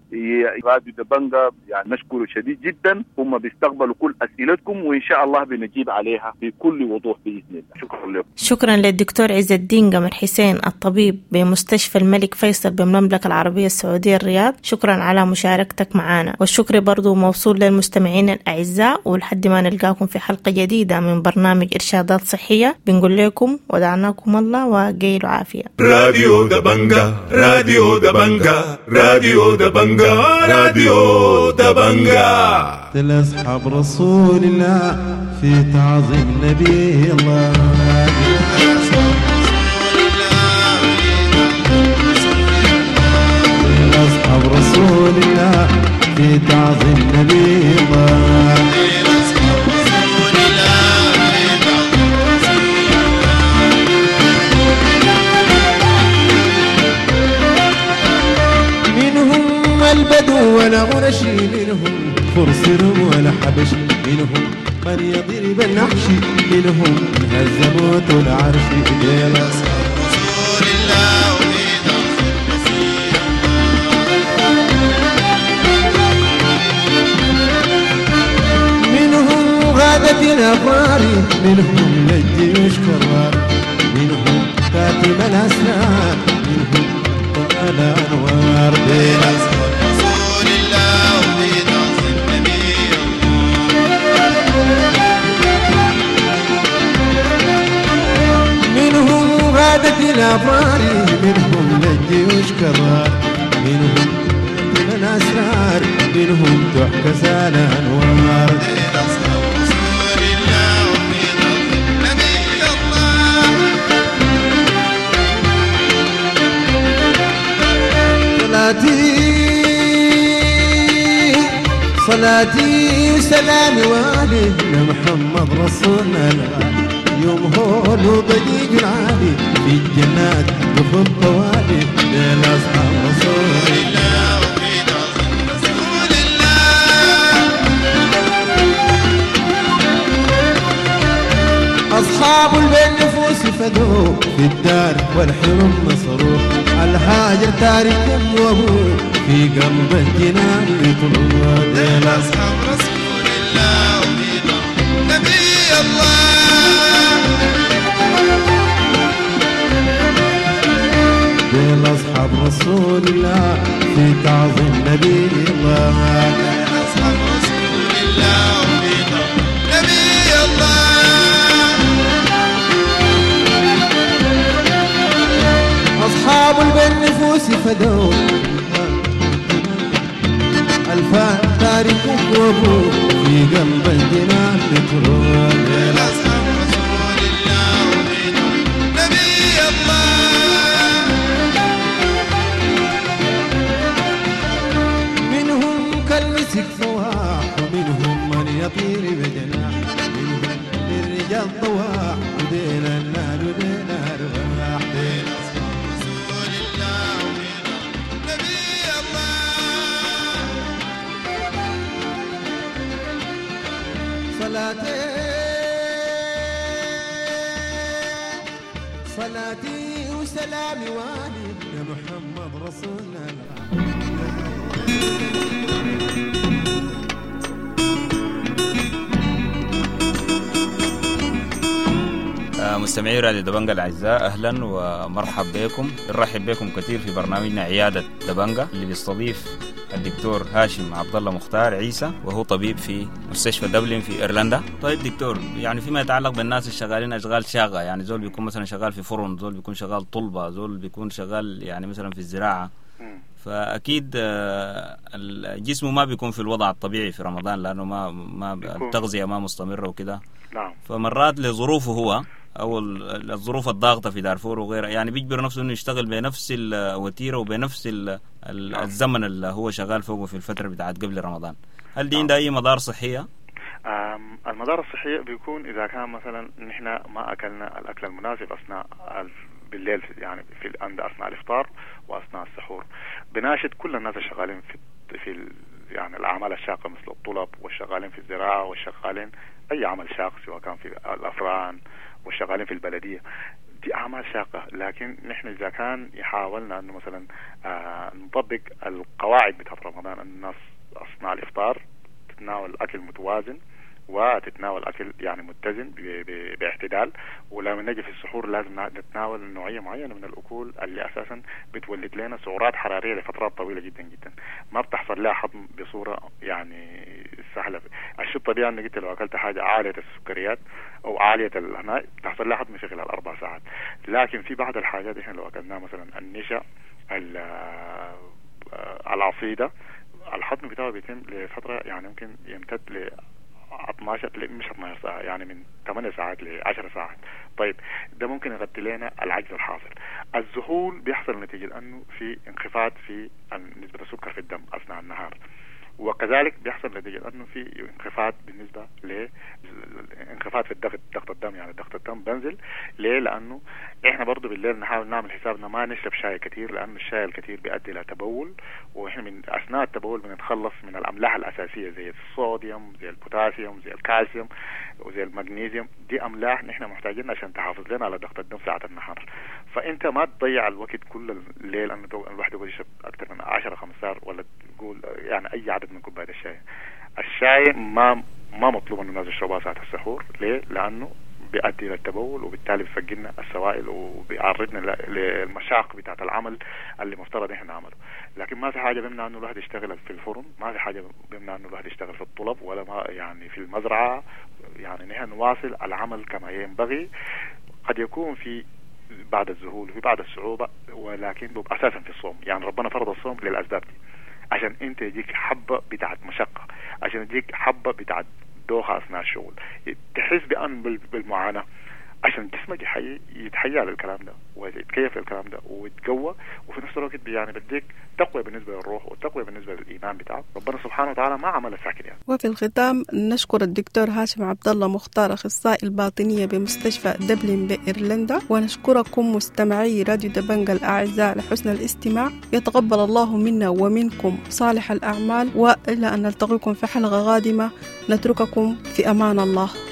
راديو دبنجا يعني نشكره شديد جدا، هم بيستقبلوا كل أسئلتكم وإن شاء الله بنجيب عليها بكل وضوح بإذن الله. شكرا لكم. شكرا للدكتور عز الدين قمر حسين الطبيب بمستشفى الملك فيصل بالمملكة العربية السعودية الرياض، شكرا على مشاركتك معنا، والشكر برضو موصول للمستمعين الأعزاء، ولحد ما نلقاكم في حلقة جديدة من برنامج إرشادات صحية بنقول لكم ودعناكم الله وقيلوا عافية. راديو دبنجا، راديو دبنجا، راديو دبنجا، راديو دبنجا. لأصحاب رسول الله في تعظيم نبي الله. أصحاب رسول الله في تعظيم نبي الله. منهم البدو ولا غرشي، منهم فرس ولا حبش، منهم من يضرب النحش، منهم هزموت العرش. أصحاب رسول الله منهم غادة الأبرار، منهم للجيوش كرار، منهم كاتم الأسرار، منهم طال أنوار. أصحاب رسول الله وفي تعظيم نبي الله. منهم غادة الأبرار، منهم للجيوش كرار، منهم كاتم الأسرار، منهم تحكى الأنوار. أصحاب رسول الله وفي تعظيم نبي الله. صلاتي وسلامي وعلي محمد رسولنا الغالي، يوم هول وضجيج العالي في الجنات دخل طوالي. لأصحاب رسول الله وفي تعظيم رسول الله. أصحاب البين نفوس فدوه في الدار والحرم نصروه، الهاجر تارك وابوه في قلب الجنان يطلوه. لأصحاب رسول الله وفي تعظيم نبي الله. لأصحاب رسول الله في تعظيم نبي الله. لأصحاب رسول الله وفي تعظيم نبي الله. أصحاب البين نفوس فدوا ألفان تارك وابوه في قلب الجنان بتروح. لأصحاب رسول الله وفي تعظيم نبي الله. منهم كالمسك فواح، ومنهم من يطير بجناح، منهم للرجال طواح، ودين النار ودين أرواح. أصحاب رسول الله وفي تعظيم نبي الله. صلاتي وسلامي وعلي يا محمد رسولنا. مستمعي راديو دبنجا الأعزاء، أهلا ومرحب بكم. نرحب بكم كثير في برنامجنا عيادة دبنجا اللي بيستضيف الدكتور هاشم عبد الله مختار عيسى، وهو طبيب في مستشفى دبلن في إيرلندا. طيب دكتور، يعني فيما يتعلق بالناس الشغالين أشغال شاقة، يعني زول بيكون مثلا شغال في فرن، زول بيكون شغال طلبة، زول بيكون شغال يعني مثلا في الزراعة، فأكيد الجسم ما بيكون في الوضع الطبيعي في رمضان، لأنه ما التغذية ما مستمرة وكده. نعم. فمرات لظروفه هو أو الظروف الضاغطة في دارفور وغيرها، يعني بيجبر نفسه إنه يشتغل بنفس الوتيرة وبنفس الزمن اللي هو شغال فوقه في الفترة بتاعت قبل رمضان. هل دي عندها أي مضار صحية؟ المضار الصحية بيكون إذا كان مثلا نحن ما أكلنا الأكل المناسب أثناء بالليل، يعني في عند أثناء الإفطار وأثناء السحور. بناشد كل الناس الشغالين في يعني الأعمال الشاقة مثل الطلب والشغالين في الزراعة والشغالين أي عمل شاق سواء كان في الأفران والشغالين في البلدية، دي اعمال شاقه، لكن نحن اذا كان حاولنا انه مثلا نطبق القواعد بتاعت رمضان، ان الناس اثناء الافطار تتناول اكل متوازن وتتناول اكل يعني متزن باعتدال، ولما نجي في السحور لازم نتناول نوعية معينة من الاكل اللي اساسا بتولد لنا سعرات حرارية لفترات طويلة جدا جدا، ما بتحصل لها هضم بصورة يعني سهلة. الشيء الطبيعي انك انت لو اكلت حاجة عالية السكريات او عالية الهناء بتحصل لها هضم في خلال 4 ساعات، لكن في بعض الحاجات احنا لو اكلناها مثلا النشا، العصيده، الهضم بتاعه بيتم لفترة يعني ممكن يمتد ل 12، مش 12 ساعة، يعني من 8 ساعات ل 10 ساعات. طيب ده ممكن يغطي لنا العجز الحاصل. الذهول بيحصل نتيجة أنه في انخفاض في نسبة السكر في الدم أثناء النهار، وكذلك بيحصل نتيجة أنه في انخفاض بالنسبة لانخفاض في الضغط، ضغط الدم، يعني ضغط الدم بنزل. ليه؟ لأنه إحنا برضو بالليل نحاول نعمل حسابنا ما نشرب شاي كتير، لأنه الشاي الكتير بيؤدي إلى تبول، وإحنا من أثناء التبول بنتخلص من الأملاح الأساسية زي الصوديوم، زي البوتاسيوم، زي الكالسيوم، وزي المغنيسيوم. دي أملاح نحن محتاجينها عشان تحافظ لنا على ضغط الدم ساعة النهار. فأنت ما تضيع الوقت كل الليل أنه الواحد يقعد يشرب أكثر من 10 15 ولا تقول يعني أي عدد من كوباية الشاي. الشاي ما مطلوب انه الناس يشربوها ساعة السحور. ليه؟ لأنه بيؤدي إلى التبول، وبالتالي بيفقدنا السوائل وبيعرضنا للمشاق بتاعة العمل اللي مفترض احنا نعمله. لكن ما في حاجة بيمنع انه الواحد يشتغل في الفرن، ما في حاجة بيمنع انه الواحد يشتغل في الطلب، ولا ما يعني في المزرعة. يعني نحن نواصل العمل كما ينبغي. قد يكون في بعد الذهول وفي بعد الصعوبة، ولكن أساسا في الصوم. يعني ربنا فرض الصوم للأسباب دي، عشان انت يجيك حبة بتاعت مشقة، عشان يجيك حبة بتاعت دوخة أثناء الشغل، تحس بأن بالمعاناة، عشان جسمك يتحيا للكلام ده ويتكيف للكلام ده ويتقوى، وفي نفس الوقت يعني بديك تقوى بالنسبة للروح وتقوى بالنسبة للإيمان بتاعك. ربنا سبحانه وتعالى ما عمل ساكن يعني. وفي الختام نشكر الدكتور هاشم عبد الله مختار، أخصائي الباطنية بمستشفى دبلن بإيرلندا، ونشكركم مستمعي راديو دبنجا الأعزاء لحسن الاستماع. يتقبل الله منا ومنكم صالح الأعمال، وإلى أن نلتقيكم في حلقة قادمة نترككم في أمان الله.